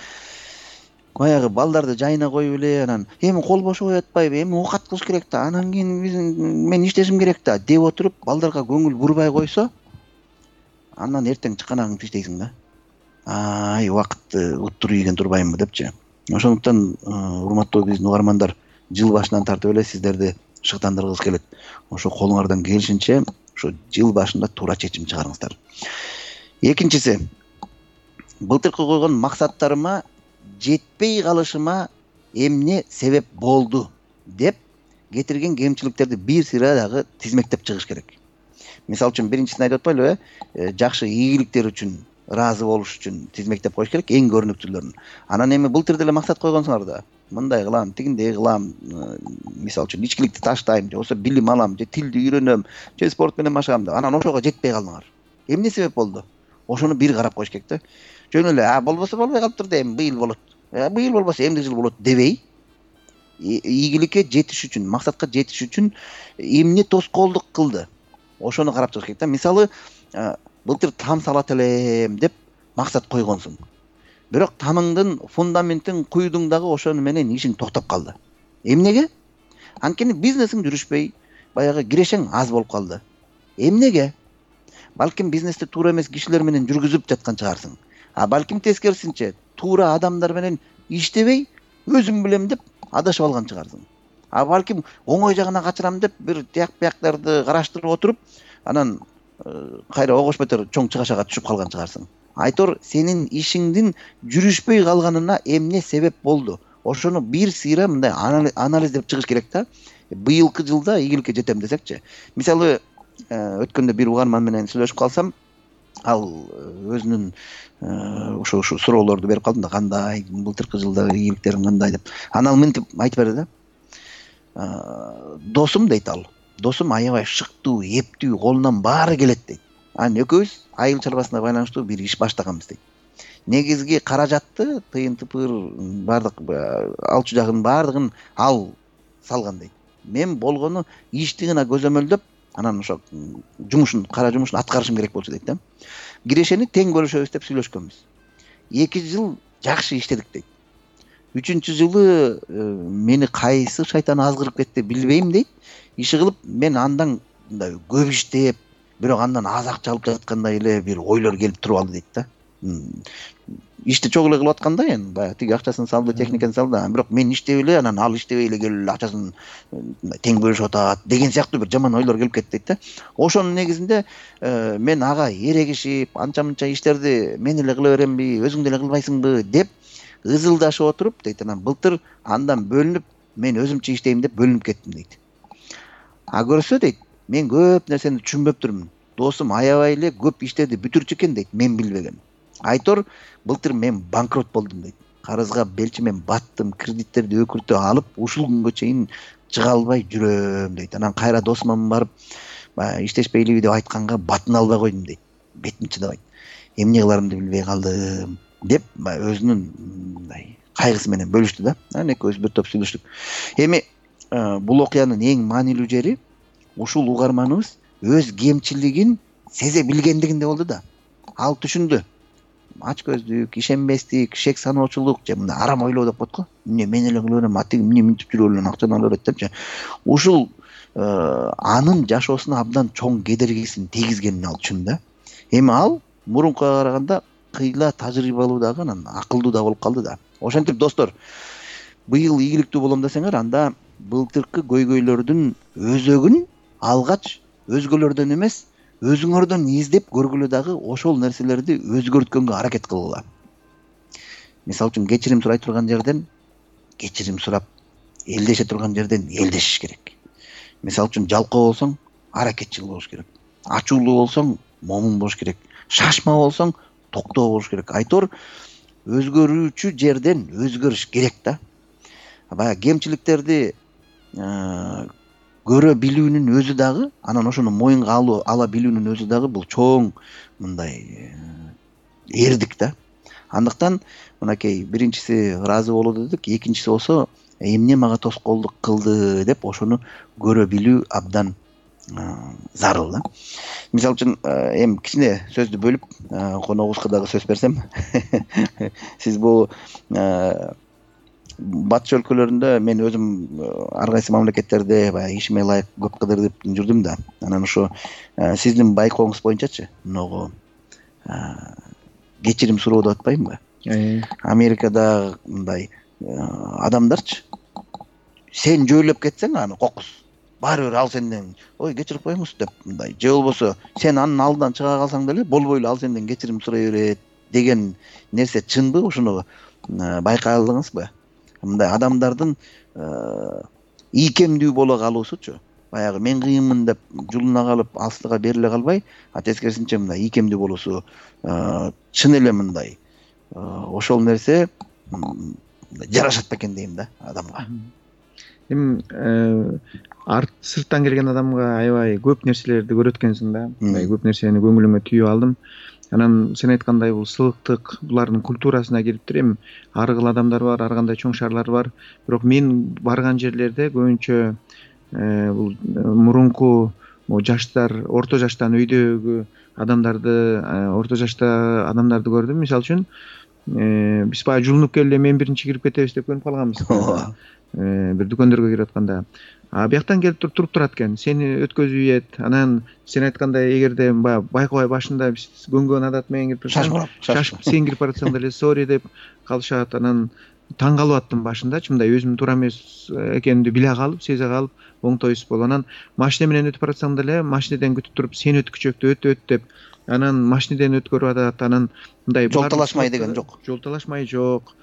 баягы балдарды жайына коюп эле, анан эми кол бошобой атпайбы, эми оокат кылыш керек да, анан кийин мен иштешим керек да деп отуруп, балдарга көңүл бурбай койсо, андан эртең чыканагыңды иштейсиң да. Убакытты уттур ийген турбаймынбы депчи. Ошондуктан урматтуу биздин угармандар, жыл башынан тартып эле сиздерди шыктандыргыбыз келет. Ошо колуңардан келишинче ошо жыл башында туура чечим чыгарыңыздар. Экинчиси, былтыркы койгон максаттарыма жетпей калышыма эмне себеп болду деп кетирген кемчиликтерди бир сыйра дагы тизмектеп чыгыш керек. Мисалы үчүн биринчисин айтып атпайлыбы, жакшы ийгиликтер үчүн, ыраазы болуш үчүн тизмектеп коюш керек, эң көрүнүктүүлөрүн. Анан эми былтыр деле максат койгонсуңар да, мындай кылам, тигиндей кылам, мисалы үчүн ичкиликти таштайм, же болбосо билим алам, же тилди үйрөнөм, же спорт менен машыгам деп. Анан ошого жетпей калдыңар. Эмне себеп болду? Ошону бир карап коюш керек да. Жөн эле, болбосо болбой калыптыр да, эми быйыл болот. Быйыл болбосо эмди жыл болот дебей, ийгиликке жетиш үчүн, максатка жетиш үчүн эмне тоскоолдук кылды? Ошону карап чыгыш керек да. Мисалы, былтыр там салат элем деп максат койгонсуң. Бирок тамыңдын, фундаментин куйдуң дагы ошону менен ишиң токтоп калды. Эмнеге? Анткени бизнесиң жүрүшпөй, баягы кирешең аз болуп калды. Эмнеге? Балким бизнести туура эмес кишилер менен жүргүзүп жаткан чыгарсың. Балким тескерисинче, туура адамдар менен иштебей, өзүм билем деп адашып алган чыгарсың. Балким оңой жагына качырам деп бир тияк-бияктарды караштырып отуруп, анан кайра огош бетер чоң чыгашага түшүп калган чыгарсың. Айтор, сенин ишиңдин жүрүшпөй калганына эмне себеп болду? Ошону бир сыйра мындай анализдеп чыгыш керек да. Быйылкы жылда ийгиликке жетем десекчи. Мисалы, өткөндө бир угарман менен сүйлөшүп калсам, ал өзүнүн ошо суроолорду берип калдым да, кандай былтыркы жылдагы ийгиликтериң кандай деп. Анан ал мынтип айтып берди да. Досум дейт ал. Досум аябай шыктуу, эптүү, колунан баары келет дейт. Анан экөөбүз айыл чарбасына байланыштуу бир иш баштаганбыз дейт. Негизги каражатты, тыйын-тыпыр, бардык алчу жагын бардыгын ал салган дейт. Мен болгону ишти гана көзөмөлдөп, анан ошо кара жумушун аткарышым керек болчу дейт да. Кирешени тең бөлүшөбүз деп сүйлөшкөнбүз. 2 жыл жакшы иштедик дейт. 3-чү жылы мени кайсы шайтан азгырып кетти билбейм дейт. Иши кылып мен андан мындай көп иштеп, бирок андан аз акча алып жаткандай эле бир ойлор келип туруп алды дейт да. Ишти чогуу эле кылып атканда, эми баягы тиги акчасын салды, техниканы салды, бирок мен иштеп эле, анан ал иштебей эле келип эле акчасын тең бөлүшүп атат деген сыяктуу бир жаман ойлор келип кетти дейт да. Ошонун негизинде мен ага эрегишип, анча-мынча иштерди мен эле кыла беремби, өзүң деле кылбайсыңбы деп ызылдашып отуруп дейт. Анан былтыр андан бөлүнүп, мен өзүмчө иштейм деп бөлүнүп кеттим дейт. Көрсө дейт, мен көп нерсени түшүнбөптүрмүн. Досум аябай эле көп иштерди бүтүрчү экен дейт, мен билбеген. Айтор, былтыр мен банкрот болдум дейт. Карызга белчимен баттым, кредиттерди өкүртө алып, ушул күнгө чейин чыга албай жүрөм дейт. Анан кайра досума барып, иштешпейлиби деп айтканга батын албай койдум дейт. Бетим чыдабайт. Эмне кыларымды билбей калдым деп өзүнүн кайгысы менен бөлүштү да. Анан экөөбүз бир топ сүйлөштүк. Эми бул окуянын эң маанилүү жери ушул угарманыбыз өз кемчилигин сезе билгендигинде болду да. Ал түшүндү. Ач көздүк, ишенбестик, шек саноочулук, же мындай арам ойлоо деп коет го. Мен эле кыла берем, атиги эмне мынтип жүрүп эле акчаны ала берет депчи. Ушул анын жашоосуна абдан чоң кедергисин тийгизгенин ал түшүндү да. Эми ал мурункуга караганда кыйла тажрыйбалуу дагы, анан акылдуу да болуп калды да. Ошентип достор, быйыл ийгиликтүү болом десеңер, анда былтыркы көйгөйлөрдүн өзөгүн алгач өзгөлөрдөн эмес, өзүңөрдөн издеп көргүлө дагы ошол нерселерди өзгөрткөнгө аракет кылгыла. Мисалы үчүн кечирим сурай турган жерден кечирим сурап, элдеше турган жерден элдешиш керек. Мисалы үчүн жалкоо болсоң, аракетчил болуш керек. Ачуулуу болсоң, момун болуш керек. Шашма болсоң, токтоо болуш керек. Айтор, өзгөрүүчү жерден өзгөрүш керек да. Баягы кемчиликтерди көрө билүүнүн өзү дагы, анан ошону моюнга ала билүүнүн өзү дагы бул чоң мындай эрдик да. Андыктан мынакей биринчиси ыраазы болуу дедик, экинчиси болсо эмне мага тоскоолдук кылды деп ошону көрө билүү абдан зарыл да. Мисалы үчүн эми кичине сөздү бөлүп, коногубузга дагы сөз берсем, сиз бул батыш өлкөлөрүндө мен өзүм ар кайсы мамлекеттерде баягы ишиме ылайык көп кыдырып жүрдүм да. Анан ошо сиздин байкооңуз боюнчачы, могу кечирим суроо деп атпаймынбы? Америкада мындай адамдарчы сен жөөлөп кетсең аны кокус, баары бир ал сенден ой кечирип коюңуз деп мындай же болбосо сен анын алдынан чыга калсаң деле болбой эле ал сенден кечирим сурай берет деген нерсе чынбы? Ошону байкадыңызбы? Мындай адамдардын ийкемдүү боло калуусучу баягы мен кыйынмын деп жулуна калып астыга бериле калбай, тескерисинче мындай ийкемдүү болуусу чын эле мындай ошол нерсе жарашат бекен дейм да адамга. Эми сырттан келген адамга аябай көп нерселерди көрөт экенсиң да. Көп нерсени көңүлүмө түйүп алдым. Анан сен айткандай бул сылыктык булардын культурасына кириптир. Эми ар кыл адамдар бар, ар кандай чоң шаарлар бар. Бирок мен барган жерлерде көбүнчө бул мурунку жаштар, орто жаштан өйдөгү адамдарды, орто жашта адамдарды көрдүм. Мисалы үчүн биз баягы жулунуп келе мен биринчи кирип кетебиз деп көнүп калганбыз. Бир дүкөндөргө кирип атканда бияктан келип туруп турат экен, сени өткөзүп ийет. Анан сен айткандай эгерде баягы байкабай башында биз көнгөн адат менен кирип шашып сен кирип баратсаң деле сори деп калышат. Анан таң калып аттым башындачы, мындай өзүм туура эмес экенимди биле калып, сезе калып оңтойсуз болуп. Анан машина менен өтүп баратсаң деле машинеден күтүп туруп сен өткүчөктү өт деп анан машинеден өткөрүп атат. Анан мындай жол талашмай деген жок. Жол талашмай жок.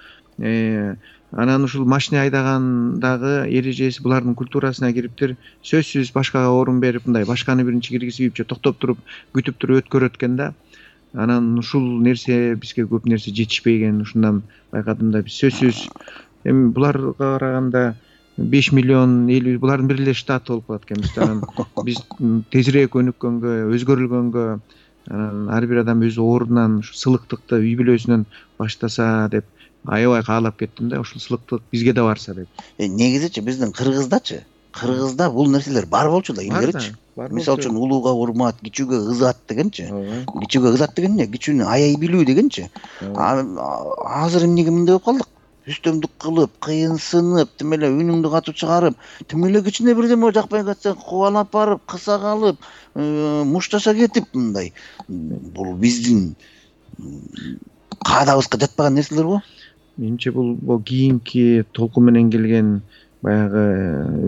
Анан ушул машина айдагандагы эрежеси булардын культурасына кириптир. Сөзсүз башкага орун берип, мындай башканы биринчи киргизип, токтоп туруп, күтүп туруп өткөрөт экен да. Анан ушул нерсе бизге көп нерсе жетишпеген, ушундан байкадым да. Биз сөзсүз эми буларга караганда 5 миллион эл булардын бир эле штаты болуп калат экенбиз. Анан биз тезирээк өнүккөнгө, өзгөрүлгөнгө, анан ар бир адам өз ордунан сылыктыкты үй бүлөсүнөн баштаса деп аябай каалап кеттим да. Ушул сылыктык бизге да барса деп. Негизичи биздин Кыргызда бул нерселер бар болчу да илгеричи. Мисалы үчүн улууга урмат, кичүүгө ызат дегенчи. Кичүүгө ызат деген эмне? Кичүүнү аяй билүү дегенчи. Азыр эмнеге мындай болуп калдык? Үстөмдүк кылып, кыйынсынып, тим эле үнүңдү катып чыгарып, тим эле кичине бирдеме жакпай кетсе кубалап барып, кыса калып, мушташа кетип мындай. Бул биздин каадабызга жатпаган нерселер го? Менимче бул кийинки толкун менен келген баягы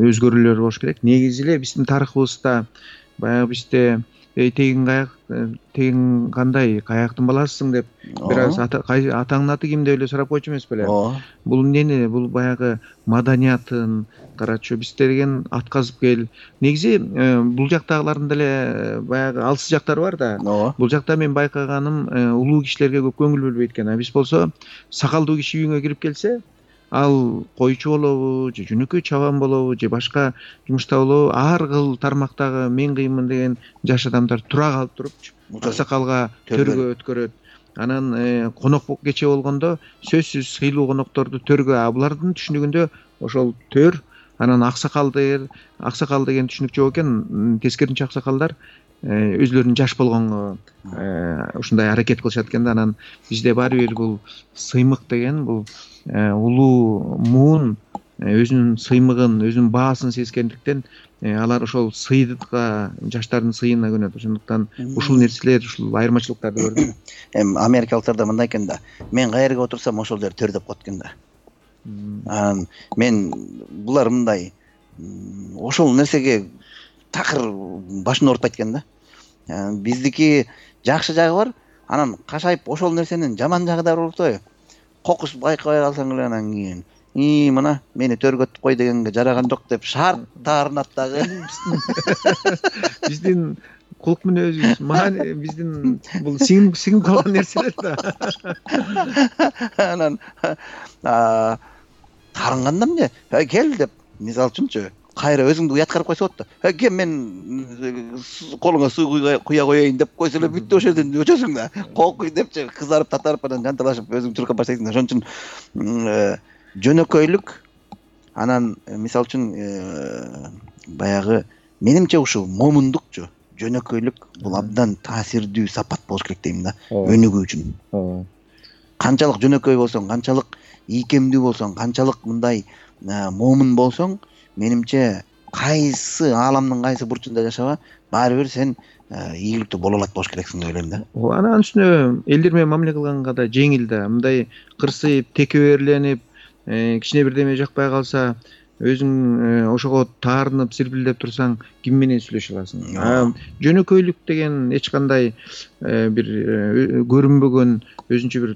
өзгөрүүлөр болуш керек. Негизи эле биздин тарыхыбызда баягы бизде тегин кандай каяктын баласысың деп бир аз атаңдын аты ким деп эле сурап койчу эмес беле? Бул эмнени? Бул баягы маданиятын карачу биз деген атказып кел. Негизи бул жактагылардын деле баягы алсыз жактары бар да. Бул жакта мен байкаганым улуу кишилерге көп көңүл бөлбөйт экен. Биз болсо сакалдуу киши үйүңө кирип келсе, ал койчу болобу, же жөнөкөй чабан болобу, же башка жумушта болобу, ар кыл тармактагы мен кыйынмын деген жаш адамдар тура калып турупчу аксакалга төргө өткөрөт. Анан конок кече болгондо сөзсүз сыйлуу конокторду төргө, булардын түшүнүгүндө ошол төр, анан аксакал деген түшүнүк жок экен. Тескерисинче аксакалдар өзлөрүнүн жаш болгонго ушундай аракет кылышат экен да. Анан бизде баары бир бул сыймык деген бул улуу муун өзүнүн сыймыгын, өзүнүн баасын сезгендиктен алар ошол сыйдыкка, жаштардын сыйына көнөт. Ошондуктан ушул нерселер, ушул айырмачылыктарды көрдүм. Эми америкалыктарда мындай экен да. Мен каерге отурсам ошол жер төр деп коет экен да. Мен булар мындай ошол нерсеге такыр башын оорутпайт экен да. Биздики жакшы жагы бар, анан кашайып ошол нерсенин жаман жагы да бар болупту. Кокус байкабай калсаң эле анан кийин мына мени төргөтүп кой дегенге жараган жок деп шарт таарынат дагы. Биздин кулк мүнөзүбүз, биздин бул сиңип калган нерселер да. Анан таарынганда эмне? Кел деп, мисалы үчүнчү, кайра өзүңдү уяткарып койсо болот да. Кел мен колуңа суу куя коеюн деп койсо эле бүттү, ошол жерден өчөсүң да. Кокуй депчи, кызарып татарып анан жанталашып өзүң чуркап баштайсың да. Ошон үчүн жөнөкөйлүк, анан мисалы үчүн баягы менимче ушул момундукчу, жөнөкөйлүк бул абдан таасирдүү сапат болуш керек дейм да, өнүгүү үчүн. Канчалык жөнөкөй болсоң, канчалык ийкемдүү болсоң, канчалык мындай момун болсоң, менимче кайсы ааламдын кайсы бурчунда жашаба, баары бир сен ийгиликтүү боло алат болуш керексиң деп ойлойм да. Анан үстүнө элдер менен мамиле кылганга да жеңил да. Мындай кырсыйып, текеберленип, кичине бирдеме жакпай калса, өзүң ошого таарынып сирпилдеп турсаң ким менен сүйлөшө аласың? Жөнөкөйлүк деген эч кандай бир көрүнбөгөн өзүнчө бир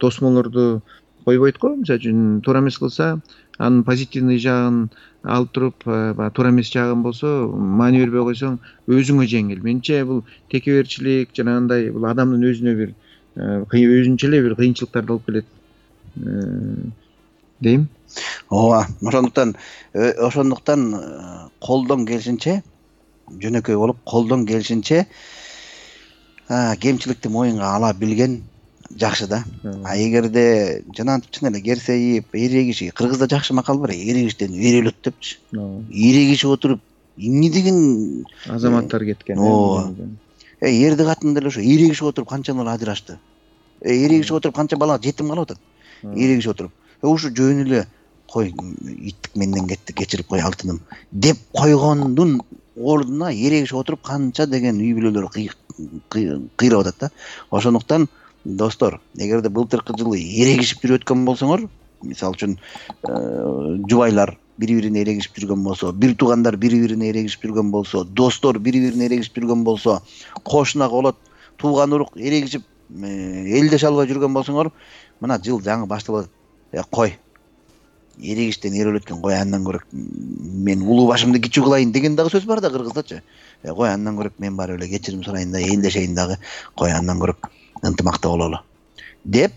тосмолорду койбойт го. Мисалы үчүн туура эмес кылса анын позитивный жагын алып туруп, баягы туура эмес жагын болсо маани бербей койсоң өзүңө жеңил. Менимче бул текеберчилик жанагындай бул адамдын өзүнө бир өзүнчө эле бир кыйынчылыктарды алып келет дейм. Ооба, ошондуктан колдон келишинче жөнөкөй болуп, колдон келишинче кемчиликти моюнга ала билген жакшы да. Эгерде жанагынтип чын эле керсейип, эрегиши, кыргызда жакшы макал бар, эрегиштен эр өлөт депчи. Эрегишип отуруп эмне деген азаматтар кеткен. Эрди катын деле ошо эрегишип отуруп канчалар ажырашты. Эрегишип отуруп канча бала жетим калып атат. Эрегишип отуруп. Ушу жөн эле кой, иттик менден кетти, кечирип кой алтыным деп койгондун ордуна эрегишип отуруп канча деген үй бүлөлөр кыйрап атат да. Ошондуктан достор, эгерде былтыркы жылы эрегишип жүрүп өткөн болсоңор, мисалы үчүн жубайлар бири-бирине эрегишип жүргөн болсо, бир туугандар бири-бирине эрегишип жүргөн болсо, достор бири-бирине эрегишип жүргөн болсо, кошуна колот, тууган урук эрегишип элдеше албай жүргөн болсоңор, мына жыл жаңы башталып атат. Кой, эрегиштен эр өлөткөн, кой андан көрөк мен улуу башымды кичүү кылайын деген дагы сөз бар да кыргыздачы. Кой андан көрөк мен барып эле кечирим сурайын да, элдешейин дагы, кой андан көрөк ынтымакта бололу деп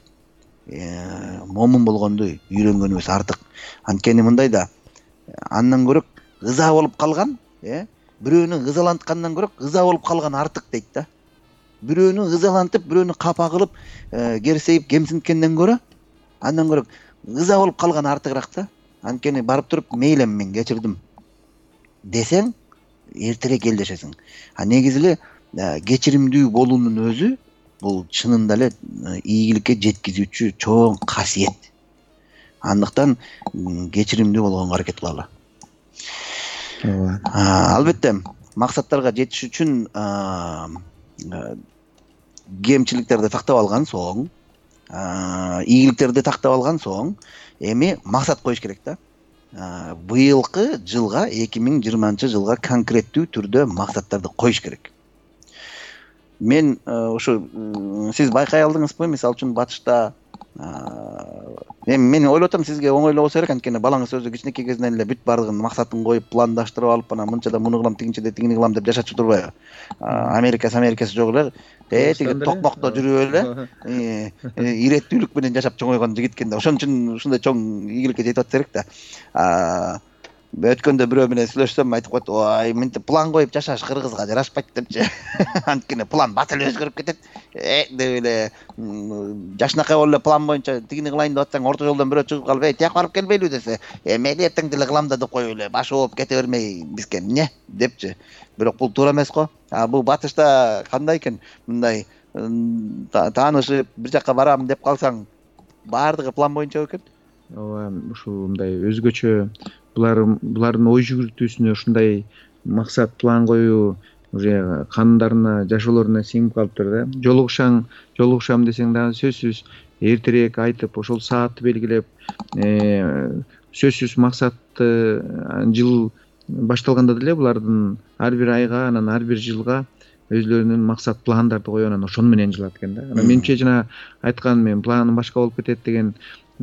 момун болгонду үйрөнгөнүбүз артык. Анткени мындай да, андан көрөк ыза болуп калган, бирөөнү ызаланткандан көрөк ыза болуп калган артык дейт да. Бирөөнү ызалантып, бирөөнү капа кылып, керсейип, кемсинткенден көрө, андан көрөк ыза болуп калган артыгыраак да. Анткени барып туруп мейлем мен кечирдим десең, эртерээк элдешесиң. Негизи эле кечиримдүү болуунун өзү бул чынында эле ийгиликке жеткизүүчү чоң касиет. Андыктан кечиримдүү болгонго аракет кылалы. Албетте, максаттарга жетиш үчүн кемчиликтерди тактап алган соң, ийгиликтерди тактап алган соң, эми максат коюш керек да. Быйылкы жылга, 2020-жылга конкреттүү түрдө максаттарды коюш керек. Мен ушу сиз байкай алдыңызбы, мисалы үчүн батышта мен ойлоп атам, сизге оңойлоо болсо керек, анткени балаңыз өзү кичинекей кезинен эле бүт баардыгын максатын коюп, пландаштырып алып, анан мынчада муну кылам, тигинчеде тигини кылам деп жашачу турбайбы? Америкасы жок эле, тиги токмокто жүрүп эле, иреттүүлүк менен жашап чоңойгон жигит экен да. Ошон үчүн ушундай чоң ийгиликке жетип атса керек да. Өткөндө бирөө менен сүйлөшсөм айтып коет, ой, мынтип план коюп жашаш кыргызга жарашпайт депчи. Анткени план бат эле өзгөрүп кетет. Деп эле жашынакай болуп эле план боюнча тигини кылайын деп атсаң, орто жолдон бирөө чыгып калып, тияк барып келбейлиби десе, мейли эртең деле кылам да деп коюп эле баш ооп кете бермей бизге эмне депчи. Бирок бул туура эмес го. Бул батышта кандай экен? Мындай таанышып бир жака барам деп калсаң, баардыгы план боюнча экен. Ооба, ушул мындай өзгөчө булардын ой жүгүртүүсүнө ушундай максат, план коюу уже кандарына, жашоолоруна сиңип калыптыр да. Жолугушам десең дагы сөзсүз эртерээк айтып, ошол саатты белгилеп, сөзсүз максатты жыл башталганда деле булардын ар бир айга, анан ар бир жылга өзлөрүнүн максат пландарды коюп, анан ошону менен жылат экен да. Анан менимче жана айткан, мен планым башка болуп кетет деген,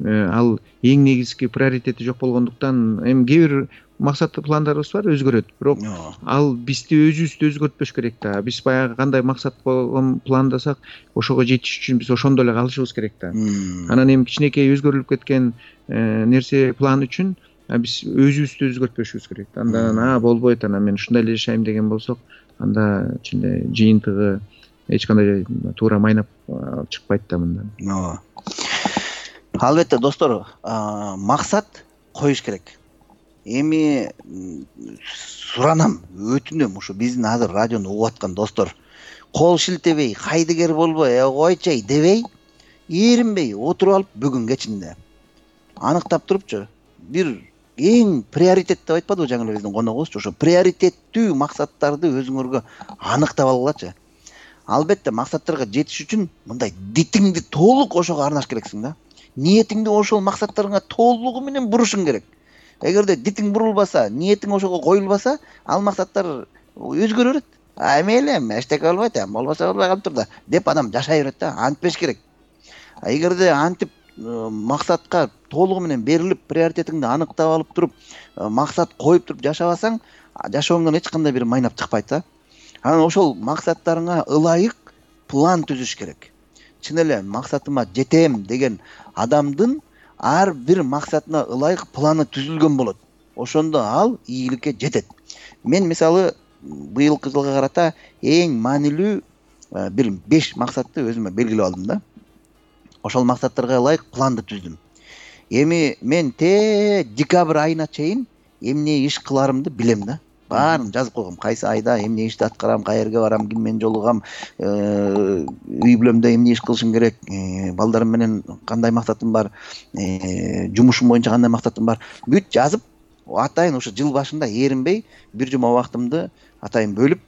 ал эң негизги приоритети жок болгондуктан, эми кээ бир максат пландарыбыз бар, өзгөрөт. Бирок ал бизди өзүбүздү өзгөртпөш керек да. Биз баягы кандай максат койгон пландасак, ошого жетиш үчүн биз ошондо эле калышыбыз керек да. Анан эми кичинекей өзгөрүлүп кеткен нерсе, план үчүн биз өзүбүздү өзгөртпөшүбүз керек. Андан болбойт, анан мен ушундай эле жашайм деген болсок, анда чын эле жыйынтыгы эч кандай туура майнап чыкпайт да мындан. Албетте достор, максат коюш керек. Эми суранам, өтүнөм, ушу биздин азыр радиону угуп аткан достор, кол шилтебей, кайдыгер болбой, койчай дебей, эринбей отуруп алып бүгүнгө чейин аныктап турупчу, бир эң приоритет деп айтпадыбы жаңы эле биздин коногубуз, ошо приоритеттүү максаттарды өзүңөргө аныктап алгылачы. Албетте максаттарга жетиш үчүн мындай дитиңди толук ошого арнаш керексиң да. Ниетиңди ошол максаттарыңа толугу менен бурушуң керек. эгерде дитиң бурулбаса, ниетиң ошого коюлбаса, ал максаттар өзгөрө берет. Мейли, эчтеке болбойт, болбосо болбой калыптыр да деп адам жашай берет да. Антпеш керек. Эгерде антип максатка толугу менен берилип, приоритетиңди аныктап алып туруп, максат коюп туруп жашабасаң, жашооңдон эч кандай бир майнап чыкпайт да. Анан ошол максаттарыңа ылайык план түзүш керек. Чын эле максатыма жетем деген адамдын ар бир максатына ылайык планы түзүлгөн болот. Ошондо ал ийгиликке жетет. Мен мисалы быйылкы жылга карата эң маанилүү бир 5 максатты өзүмө белгилеп алдым да. Ошол максаттарга ылайык планды түздүм. Эми мен декабрь айына чейин эмне иш кыларымды билем да. Баарын жазып койгом. Кайсы айда эмне ишти аткарам, каерге барам, ким менен жолугам, үй бүлөмдө эмне иш кылышым керек, балдарым менен кандай максатым бар, жумушум боюнча кандай максатым бар, бүт жазып, атайын ушу жыл башында эринбей бир жума убактымды атайын бөлүп,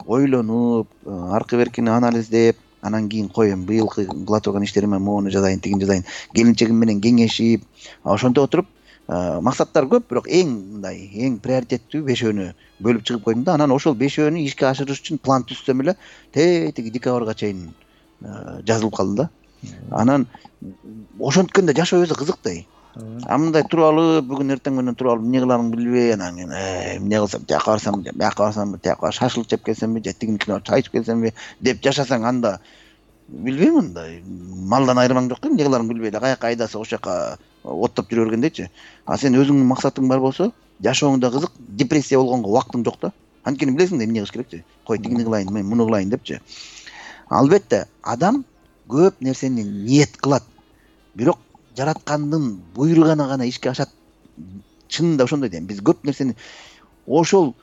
ойлонуп, аркы беркини анализдеп, анан кийин коем. Быйылкы кыла турган иштериме моуну жазайын, тигин жазайын. Келинчегим менен кеңешип, ошентип отуруп, максаттар көп, бирок эң приоритеттүү 5өөнү бөлүп чыгып койдум да. Анан ошол 5өөнү ишке ашырыш үчүн план түзсөм эле тиги декабрга чейин жазылып калды да. Анан ошонткенде жашоо өзү кызык. Мындай туруп алып, бүгүн эртең менен туруп алып эмне кыларымды билбей, анан эмне кылсам, жака барсам, бияка барсам, тияка шашлык жеп келсемби, же тигинкине чай ичип келсемби деп жашасаң, анда билбейм, мындай малдан айырмаң жок, эмне кыларыңды билбей эле каяка айдаса ошол жака оттоп жүрө бергендейчи. А сен өзүңдүн максатың бар болсо, жашооң да кызык, депрессия болгонго убактың жок да. Анткени билесиң да эмне кылыш керекчи. Кой тигини кылайын, мен муну кылайын депчи. Албетте, адам көп нерсени ниет кылат. Бирок жараткандын буйругана гана ишке ашат. Чынында ошондой дейм. Биз көп нерсени ошол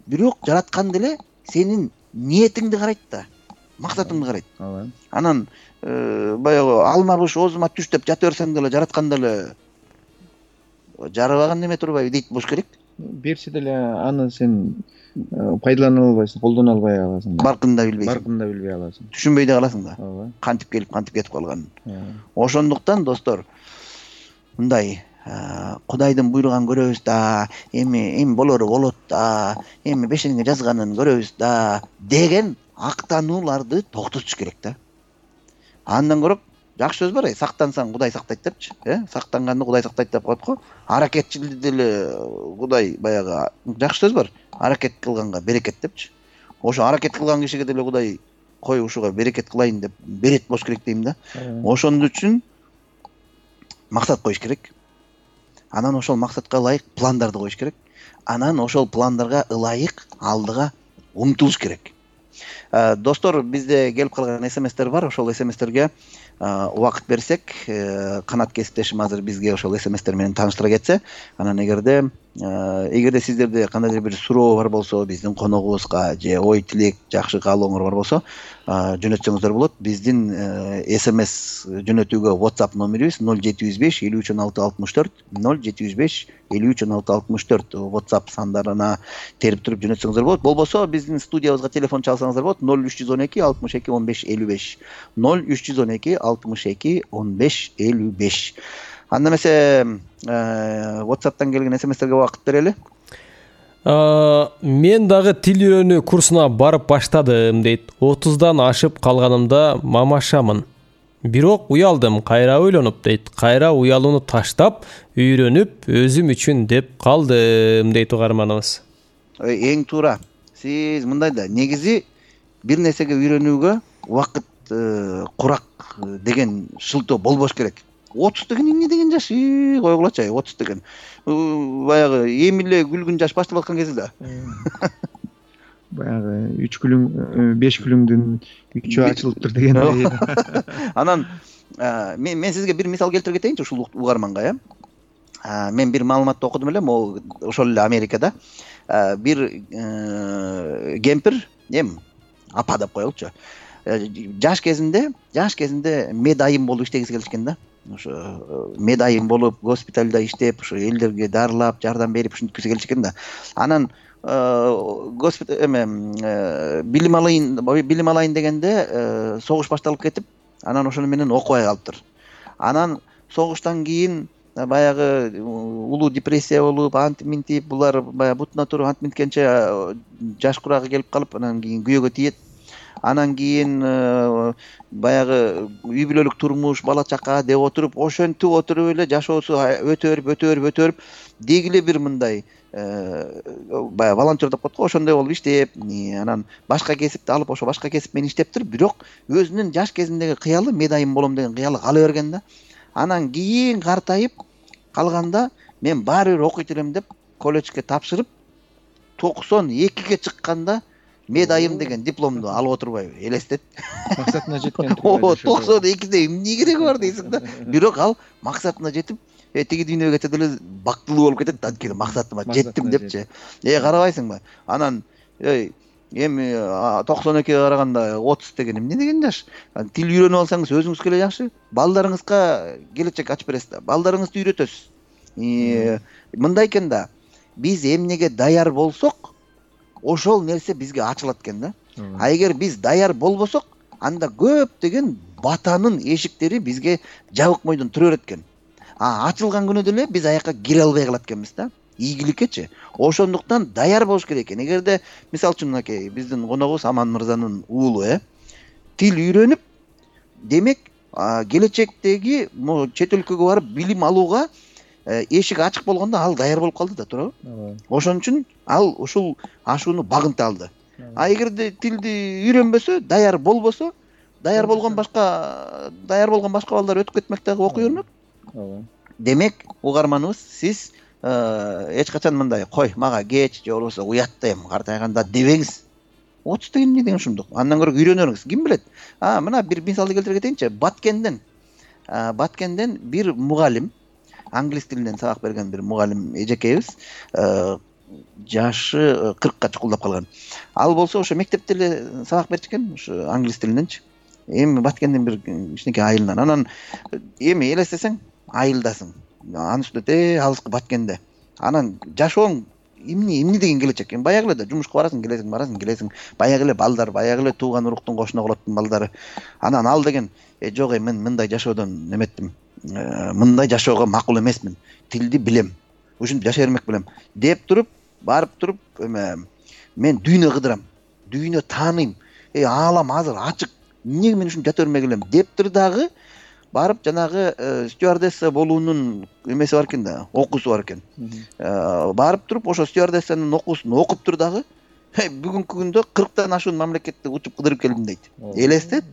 бирок жаратканда эле сенин ниетиңди карайт да, максатыңды карайт. Анан баягы алмабыш оозума түш деп жата берсең деле жаратканда эле жарабаган неме турбайбы дейт болуш керек. Берсе деле аны сен пайдалана албайсың, колдоно албай каласың. Баркын да билбейсиң. Баркын да билбей каласың. Түшүнбөй да каласың да. Кантип келип, кантип кетип калганын. Ошондуктан достор, мындай Кудайдын буйруган көрөбүз да, эми болору болот да, эми бешениңе жазганын көрөбүз да деген актанууларды токтотуш керек да. Андан көрөп жакшы сөз бар, сактансаң Кудай сактайт депчи, сактанганды Кудай сактайт деп коет го. Аракетчилди деле Кудай баягы жакшы сөз бар. Аракет кылганга берекет депчи. Ошо аракет кылган кишиге деле Кудай кой ушуга берекет кылайын деп берет болуш керек дейм да. Ошондо үчүн максат коюш керек. Анан ошол максатка ылайык пландарды коюш керек. Анан ошол пландарга ылайык алдыга умтулуш керек. Достор, бизде келип калган смстер бар. Ошол смстерге убакыт берсек, канат кесиптешим азыр бизге ошол смстер менен тааныштыра кетсе, анан эгерде сиздерде кандайдыр бир суроо бар болсо, биздин коногубузга же ой тилек, жакшы каалооңор бар болсо, жөнөтсөңүздөр болот. Биздин смс жөнөтүүгө WhatsApp номерибиз 0705 531664, 0705 531664 WhatsApp сандарына терип туруп жөнөтсөңүздөр болот. Болбосо биздин студиябызга телефон чалсаңыздар болот. 0312 62 15 55, 0312 62 15 55. Анда эмесе WhatsApp'тан келген смстерге убакыт берели. Мен дагы тил үйрөнүү курсуна барып баштадым дейт. 30дан ашып калганымда мамашамын. Бирок уялдым, кайра ойлонуп дейт. Кайра уялууну таштап, үйрөнүп, өзүм үчүн деп калдым дейт угарманыбыз. Эң туура. Сиз мындай да, негизи бир нерсеге үйрөнүүгө убакыт курак деген шылтоо болбош керек. 30 деген эмне деген жаш? Койгулачы, 30 деген. Баягы эми эле күлгүн жаш башталып аткан кези да. Баягы 3 күлүң, 5 күлүңдүн 3-ü ачылыптыр деген. Анан мен сизге бир мисал келтире кетейинчи ушул угарманга, Мен бир маалыматты окудум эле, могу ошол эле Америкада бир кемпир, апа деп коелучу. Жаш кезинде медайым болуп иштегиси келишкен да. Ошо медайым болуп, госпиталда иштеп, ошо элдерге дарылап, жардам берип ушинткиси келишкен да. Анан билим алайын дегенде согуш башталып кетип, анан ошону менен окубай калыптыр. Анан согуштан кийин баягы улуу депрессия болуп антип минтип булар баягы бутуна туруп антип минткенче жаш курагы келип калып анан кийин күйөөгө тиет. Анан кийин баягы үй бүлөлүк турмуш, бала чака деп отуруп ошентип отуруп эле жашоосу өтө берип деги эле бир мындай баягы волонтер деп коет го, ошондой болуп иштеп, анан башка кесипти алып ошо башка кесип менен иштеп туруп, бирок өзүнүн жаш кезиндеги кыялы медайым болом деген кыялы кала берген да. Анан кийин картайып калганда мен баары бир окуйт элем деп колледжге тапшырып 92ге чыкканда медайым деген дипломду алып отурбайбы, элестет. Максатына жеткен. 92де эмне кереги бар дейсиң да. Бирок ал максатына жетип, тиги дүйнөгө кетет эле бактылуу болуп кетет, анткени максатыма жеттим депчи. Карабайсыңбы? Анан эми 92ге караганда 30 деген эмне деген жаш. Тил үйрөнүп алсаңыз өзүңүзгө эле жакшы. Балдарыңызга келечек ачып бересиз да. Балдарыңызды үйрөтөсүз. Мындай экен да. Биз эмнеге даяр болсок, ошол нерсе бизге ачылат экен да. А эгер биз даяр болбосок, анда көптөгөн батанын эшиктери бизге жабык мойдон тура берет экен. Ачылган күнү деле биз аяка кире албай калат экенбиз да. Ийгиликкечи. Ошондуктан даяр болуш керек экен. Эгерде мисалы үчүн мынакей биздин коногубуз Аман мырзанын уулу тил үйрөнүп, демек келечектеги чет өлкөгө барып билим алууга эшик ачык болгондо ал даяр болуп калды да, туурабы? Ошон үчүн ал ушул ашууну багынта алды. А эгерде тилди үйрөнбөсө, даяр болбосо, даяр болгон башка балдар өтүп кетмек дагы окуй бермек. Демек, угарманыбыз, сиз эч качан мындай кой мага кеч же болбосо уяттайм картайганда дебеңиз. 30 деген эмне деген ушундук. Андан көрө үйрөнөрүңүз. Ким билет? Мына бир мисалды келтире кетейинчи. Баткенден бир мугалим, англис тилинен сабак берген бир мугалим эжекейбиз, жашы 40ка чукулдап калган. Ал болсо ошо мектепте эле сабак берчү экен, ошо англис тилиненчи. Эми Баткенден бир кичинекей айылынан. Анан эми элестесең, айылдасың. Анын үстүнө алыскы Баткенде. Анан жашооң эмне деген келечек? Баягы эле да жумушка барасың, келесиң. Баягы эле балдар, баягы эле тууган уруктун кошуна колоттун балдары. Анан ал деген жок, мен мындай жашоодон эметтим. Мындай жашоого макул эмесмин. Тилди билем. Ушинтип жашай бермек белем деп туруп, барып туруп, мен дүйнө кыдырам. Дүйнө тааныйм. Аалам азыр ачык. Эмнеге мен ушинтип жата бермек элем деп тур дагы барып жанагы стюардесса болуунун эмеси бар экен да, окуусу бар экен. Барып туруп ошо стюардессанын окуусун окуп тур дагы бүгүнкү күндө 40тан ашуун мамлекетте учуп кыдырып келдим дейт. Элестет.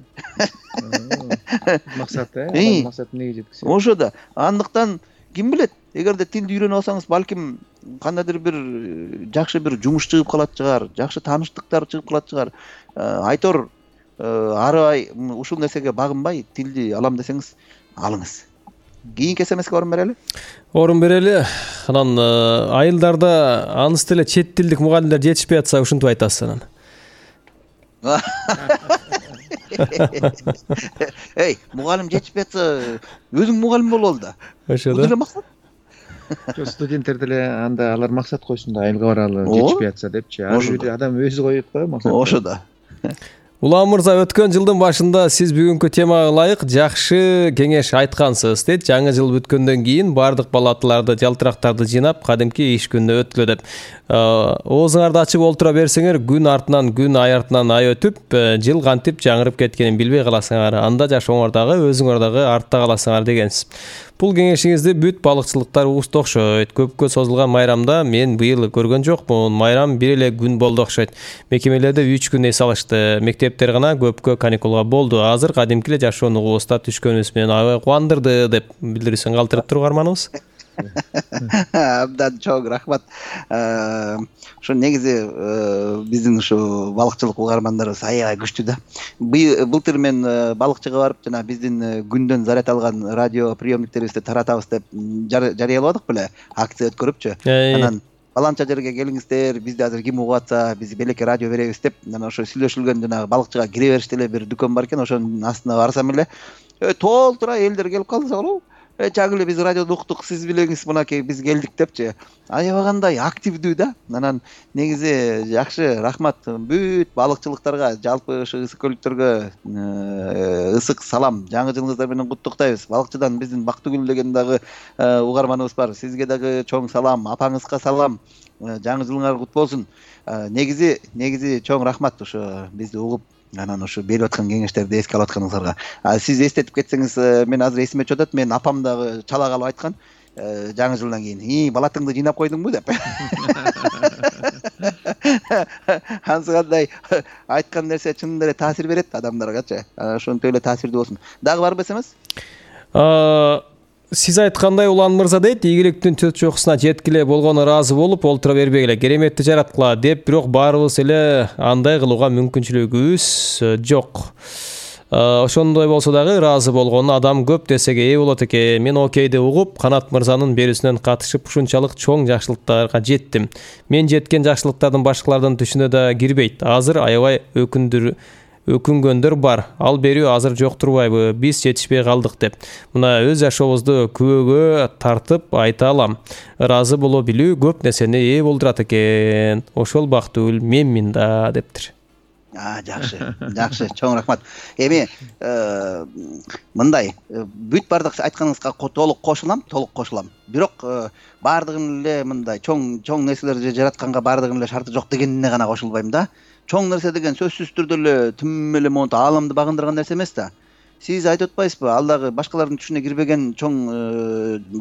Максаты, максат эмнеге жеткисе. Ошо да. Андыктан ким билет, эгерде тилди үйрөнүп алсаңыз, балким кандайдыр бир жакшы бир жумуш чыгып калат чыгар, жакшы тааныштыктар чыгып калат чыгар. Айтор арыбай ушул нерсеге багынбай тилди алам десеңиз, алыңыз. Кийинки СМСке орун берели. Анан айылдарда аныс деле чет тилдик мугалимдер жетишпей атса, ушинтип айтасыз анан. Мугалим жетишпей атса, өзүң мугалим болобу да. Ошо да. Максат. Жок, студенттер деле анда алар максат койсун да, айылга баралы, жетишпей атса депчи. Адам өзү коет го максат. Ошо да. Улам мырза, өткөн жылдын башында сиз бүгүнкү темага ылайык жакшы кеңеш айткансыз дейт. Жаңы жыл бүткөндөн кийин бардык балатыларды, жалтырактарды жыйнап, кадимки иш күнүнө өткүлө деп. Оозуңарды ачып олтура берсеңер, күн артынан күн, ай артынан ай өтүп, жыл кантип жаңырып кеткенин билбей каласыңар. Анда жашооңор дагы, өзүңөр дагы артта каласыңар дегенсиз. Бул кеңешиңизди бүт балыкчылыктар угуп окшойт. Көпкө созулган майрамда мен быйыл көргөн жокмун. Майрам бир эле күн болду окшойт. Мекемелерде 3 күн эс алышты. Мектептер гана көпкө каникулга болду. Азыр кадимки эле жашоону угустап түшкөнүбүз менен аябай кубандырды деп билдирүүсүн калтырып туруп арманыбыз. Абдан чоң рахмат. Ошо негизи биздин ушу балыкчылык угармандарыбыз аябай күчтүү да. Былтыр мен балыкчыга барып, жана биздин күндөн заряд алган радио приемниктерибизди таратабыз деп жарыяладык беле, акция өткөрүпчү. Анан баланча жерге келиңиздер, бизди азыр ким угуп атса, биз белекке радио беребиз деп, анан ошо сүйлөшүлгөн жанагы балыкчыга кире бериште эле бир дүкөн бар экен, ошонун астына барсам эле толтура элдер келип калды, болобу? чагы эле биз радиодо уктук, сиз билеңиз мынакей биз келдик депчи. Аябагандай активдүү да. Анан негизи жакшы, рахмат. Бүт балыкчылыктарга, жалпы ушу ысык көлдүктөргө ысык салам. Жаңы жылыңыздар менен куттуктайбыз. Балыкчыдан биздин Бактыгүл деген дагы угарманыбыз бар. Сизге дагы чоң салам, апаңызга салам. Жаңы жылыңар кут болсун. Негизи чоң рахмат ушу бизди угуп, анан ушу берип аткан кеңештерди эске алып атканыңыздарга. Сиз эстетип кетсеңиз, мен азыр эсиме түшүп атат. Менин апам дагы чала калып айткан жаңы жылдан кийин, балатыңды жыйнап койдуңбу деп. Ансыкандай айткан нерсе чынында эле таасир берет адамдаргачы. Ошонтип эле таасирдүү болсун. Дагы барбы эсемес? Сиз айткандай Улан мырза дейт, ийгиликтин чөт чокусуна жеткиле болгону ыраазы болуп, олтура бербегиле, кереметти жараткыла деп, бирок баарыбыз эле андай кылууга мүмкүнчүлүгүбүз жок. Ошондой болсо дагы ыраазы болгону адам көп нерсеге ээ болот экен. Мен окейди угуп, Канат мырзанын берүүсүнөн катышып ушунчалык чоң жакшылыктарга жеттим. Мен жеткен жакшылыктардын башкалардын түшүнө да кирбейт. Азыр аябай өкүнгөндөр бар. Ал берүү азыр жок турбайбы? Биз жетишпей калдык деп. Мына өз жашообузду күбөгө тартып айта алам. Ыраазы боло билүү көп нерсени ээ болдурат экен. Ошол Бактыгүл менмин да дептир. Жакшы, чоң рахмат. Эми мындай, бүт бардык айтканыңызга толук кошулам. Бирок бардыгын эле мындай чоң нерселерди жаратканга бардыгын эле шарты жок дегенине гана кошулбайм да. Чоң нерсе деген сөзсүз түрдө эле тим эле монтип ааламды багындырган нерсе эмес да. Сиз айтып атпайсызбы, ал дагы башкалардын түшүнө кирбеген чоң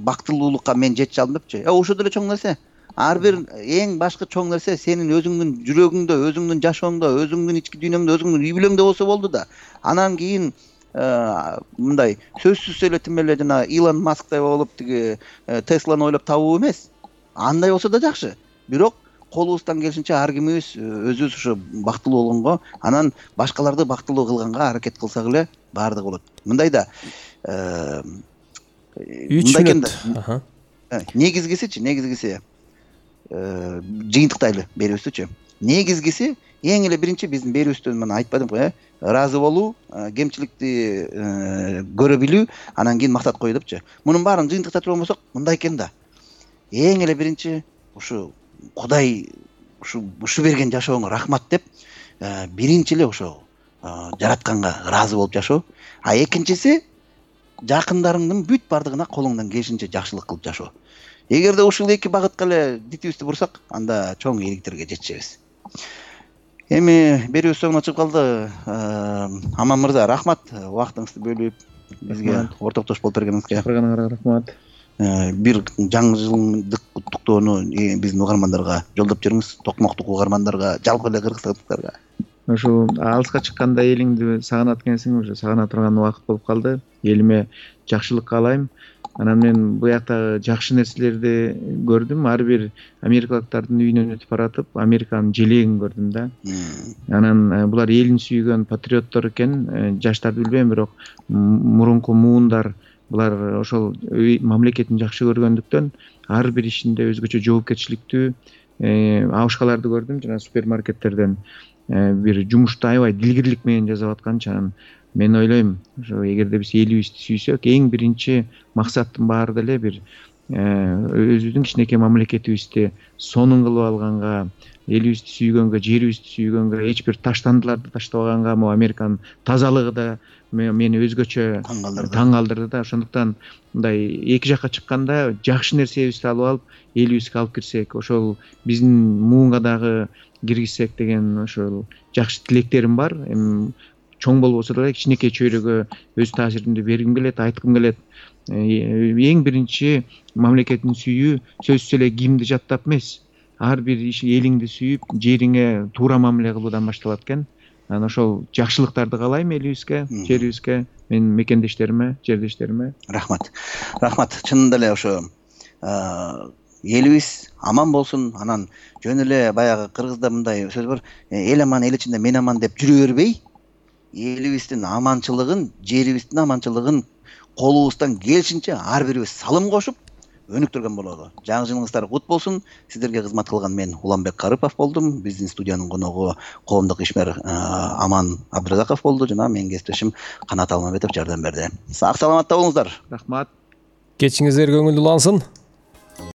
бактылуулукка мен жетише алдым депчи. Ошол деле чоң нерсе. Ар бир эң башкы чоң нерсе сенин өзүңдүн жүрөгүңдө, өзүңдүн жашооңдо, өзүңдүн ички дүйнөңдө, өзүңдүн үй бүлөңдө болсо болду да. Анан кийин мындай сөзсүз эле тим эле жана Илон Масктай болуп тиги Тесланы ойлоп табуу эмес. Андай болсо да жакшы. Бирок колубуздан келишинче ар кимибиз өзүбүз ушу бактылуу болгонго, анан башкаларды бактылуу кылганга аракет кылсак эле баардыгы болот. Мындай да 3 мүнөт. Негизгиси жыйынтыктайлы берүүбүздүчү. Негизгиси эң эле биринчи биздин берүүбүздөн мен айтпадымбы, ыраазы болуу, кемчиликти көрө билүү, анан кийин мактап кою депчи. Мунун баарын жыйынтыкта турган болсок, мындай экен да. Эң эле биринчи ушу Кудай ушу берген жашооңо рахмат деп, биринчи эле ошо жаратканга ыраазы болуп жашоо. А экинчиси жакындарыңдын бүт бардыгына колуңдан келишинче жакшылык кылып жашоо. Эгерде ушул эки багытка эле дитибизди бурсак, анда чоң ийгиликтерге жетишебиз. Эми берүүбүз соңуна чыгып калды. Аман мырза, рахмат убактыңызды бөлүп бизге ортоктош болуп бергениңизге. Чакырганыңарга рахмат. Бир жаңы жылдык куттуктоону биздин угармандарга жолдоп жүрүңүз, токмоктук угармандарга, жалпы эле кыргызстандыктарга. Ошо алыска чыкканда элиңди сагынат экенсиң, уже сагына турган убакыт болуп калды. Элиме жакшылык каалайм. Анан мен буяктагы жакшы нерселерди көрдүм. Ар бир америкалыктардын үйүнөн өтүп баратып, Американын желегин көрдүм да. Анан булар элин сүйгөн патриоттор экен. Жаштарды билбейм, бирок мурунку муундар булар ошол мамлекетин жакшы көргөндүктөн ар бир ишинде өзгөчө жоопкерчиликтүү абышкаларды көрдүм. Жана супермаркеттерден бир жумушту аябай дилгирлик менен жасап аткан. Мен ойлойм, ошо эгерде биз элибизди сүйсөк, эң биринчи максаттын баары деле бир өзүбүздүн кичинекей мамлекетибизди сонун кылып алганга, элибизди сүйгөнгө, жерибизди сүйгөнгө, эч бир таштандыларды таштабаганга, могу Американын тазалыгы да мени өзгөчө таң калтырды да. Ошондуктан мындай эки жакка чыкканда жакшы нерсебизди алып алып, элибизге алып кирсек, ошол биздин муунга дагы киргизсек деген ошол жакшы тилектерим бар. Чоң болбосо деле кичинекей чөйрөгө өз таасиримди бергим келет, айткым келет. Эң биринчи мамлекетин сүйүү сөзсүз эле кимди жаттап эмес, ар бир элиңди сүйүп, жериңе туура мамиле кылуудан башталат экен. Анан ошол жакшылыктарды каалайм элибизге, жерибизге, менин мекендештериме, жердештериме. Рахмат. Чынында эле ошо элибиз аман болсун. Анан жөн эле баягы кыргызда мындай сөз бар, эл аман, эл ичинде мен аман деп жүрө бербей, элибиздин аманчылыгын, жерибиздин аманчылыгын колубуздан келишинче ар бирибиз салым кошуп өнүктүргөн болобу. Жаңы жылыңыздар кут болсун. Сиздерге кызмат кылган мен Уланбек Карыпов болдум. Биздин студиянын коногу коомдук ишмер Аман Абдыразаков болду жана менин кесиптешим Канат Алмамбетов жардам берди. Сак саламатта болуңуздар. Рахмат. кечиңиздер көңүлдүү улансын.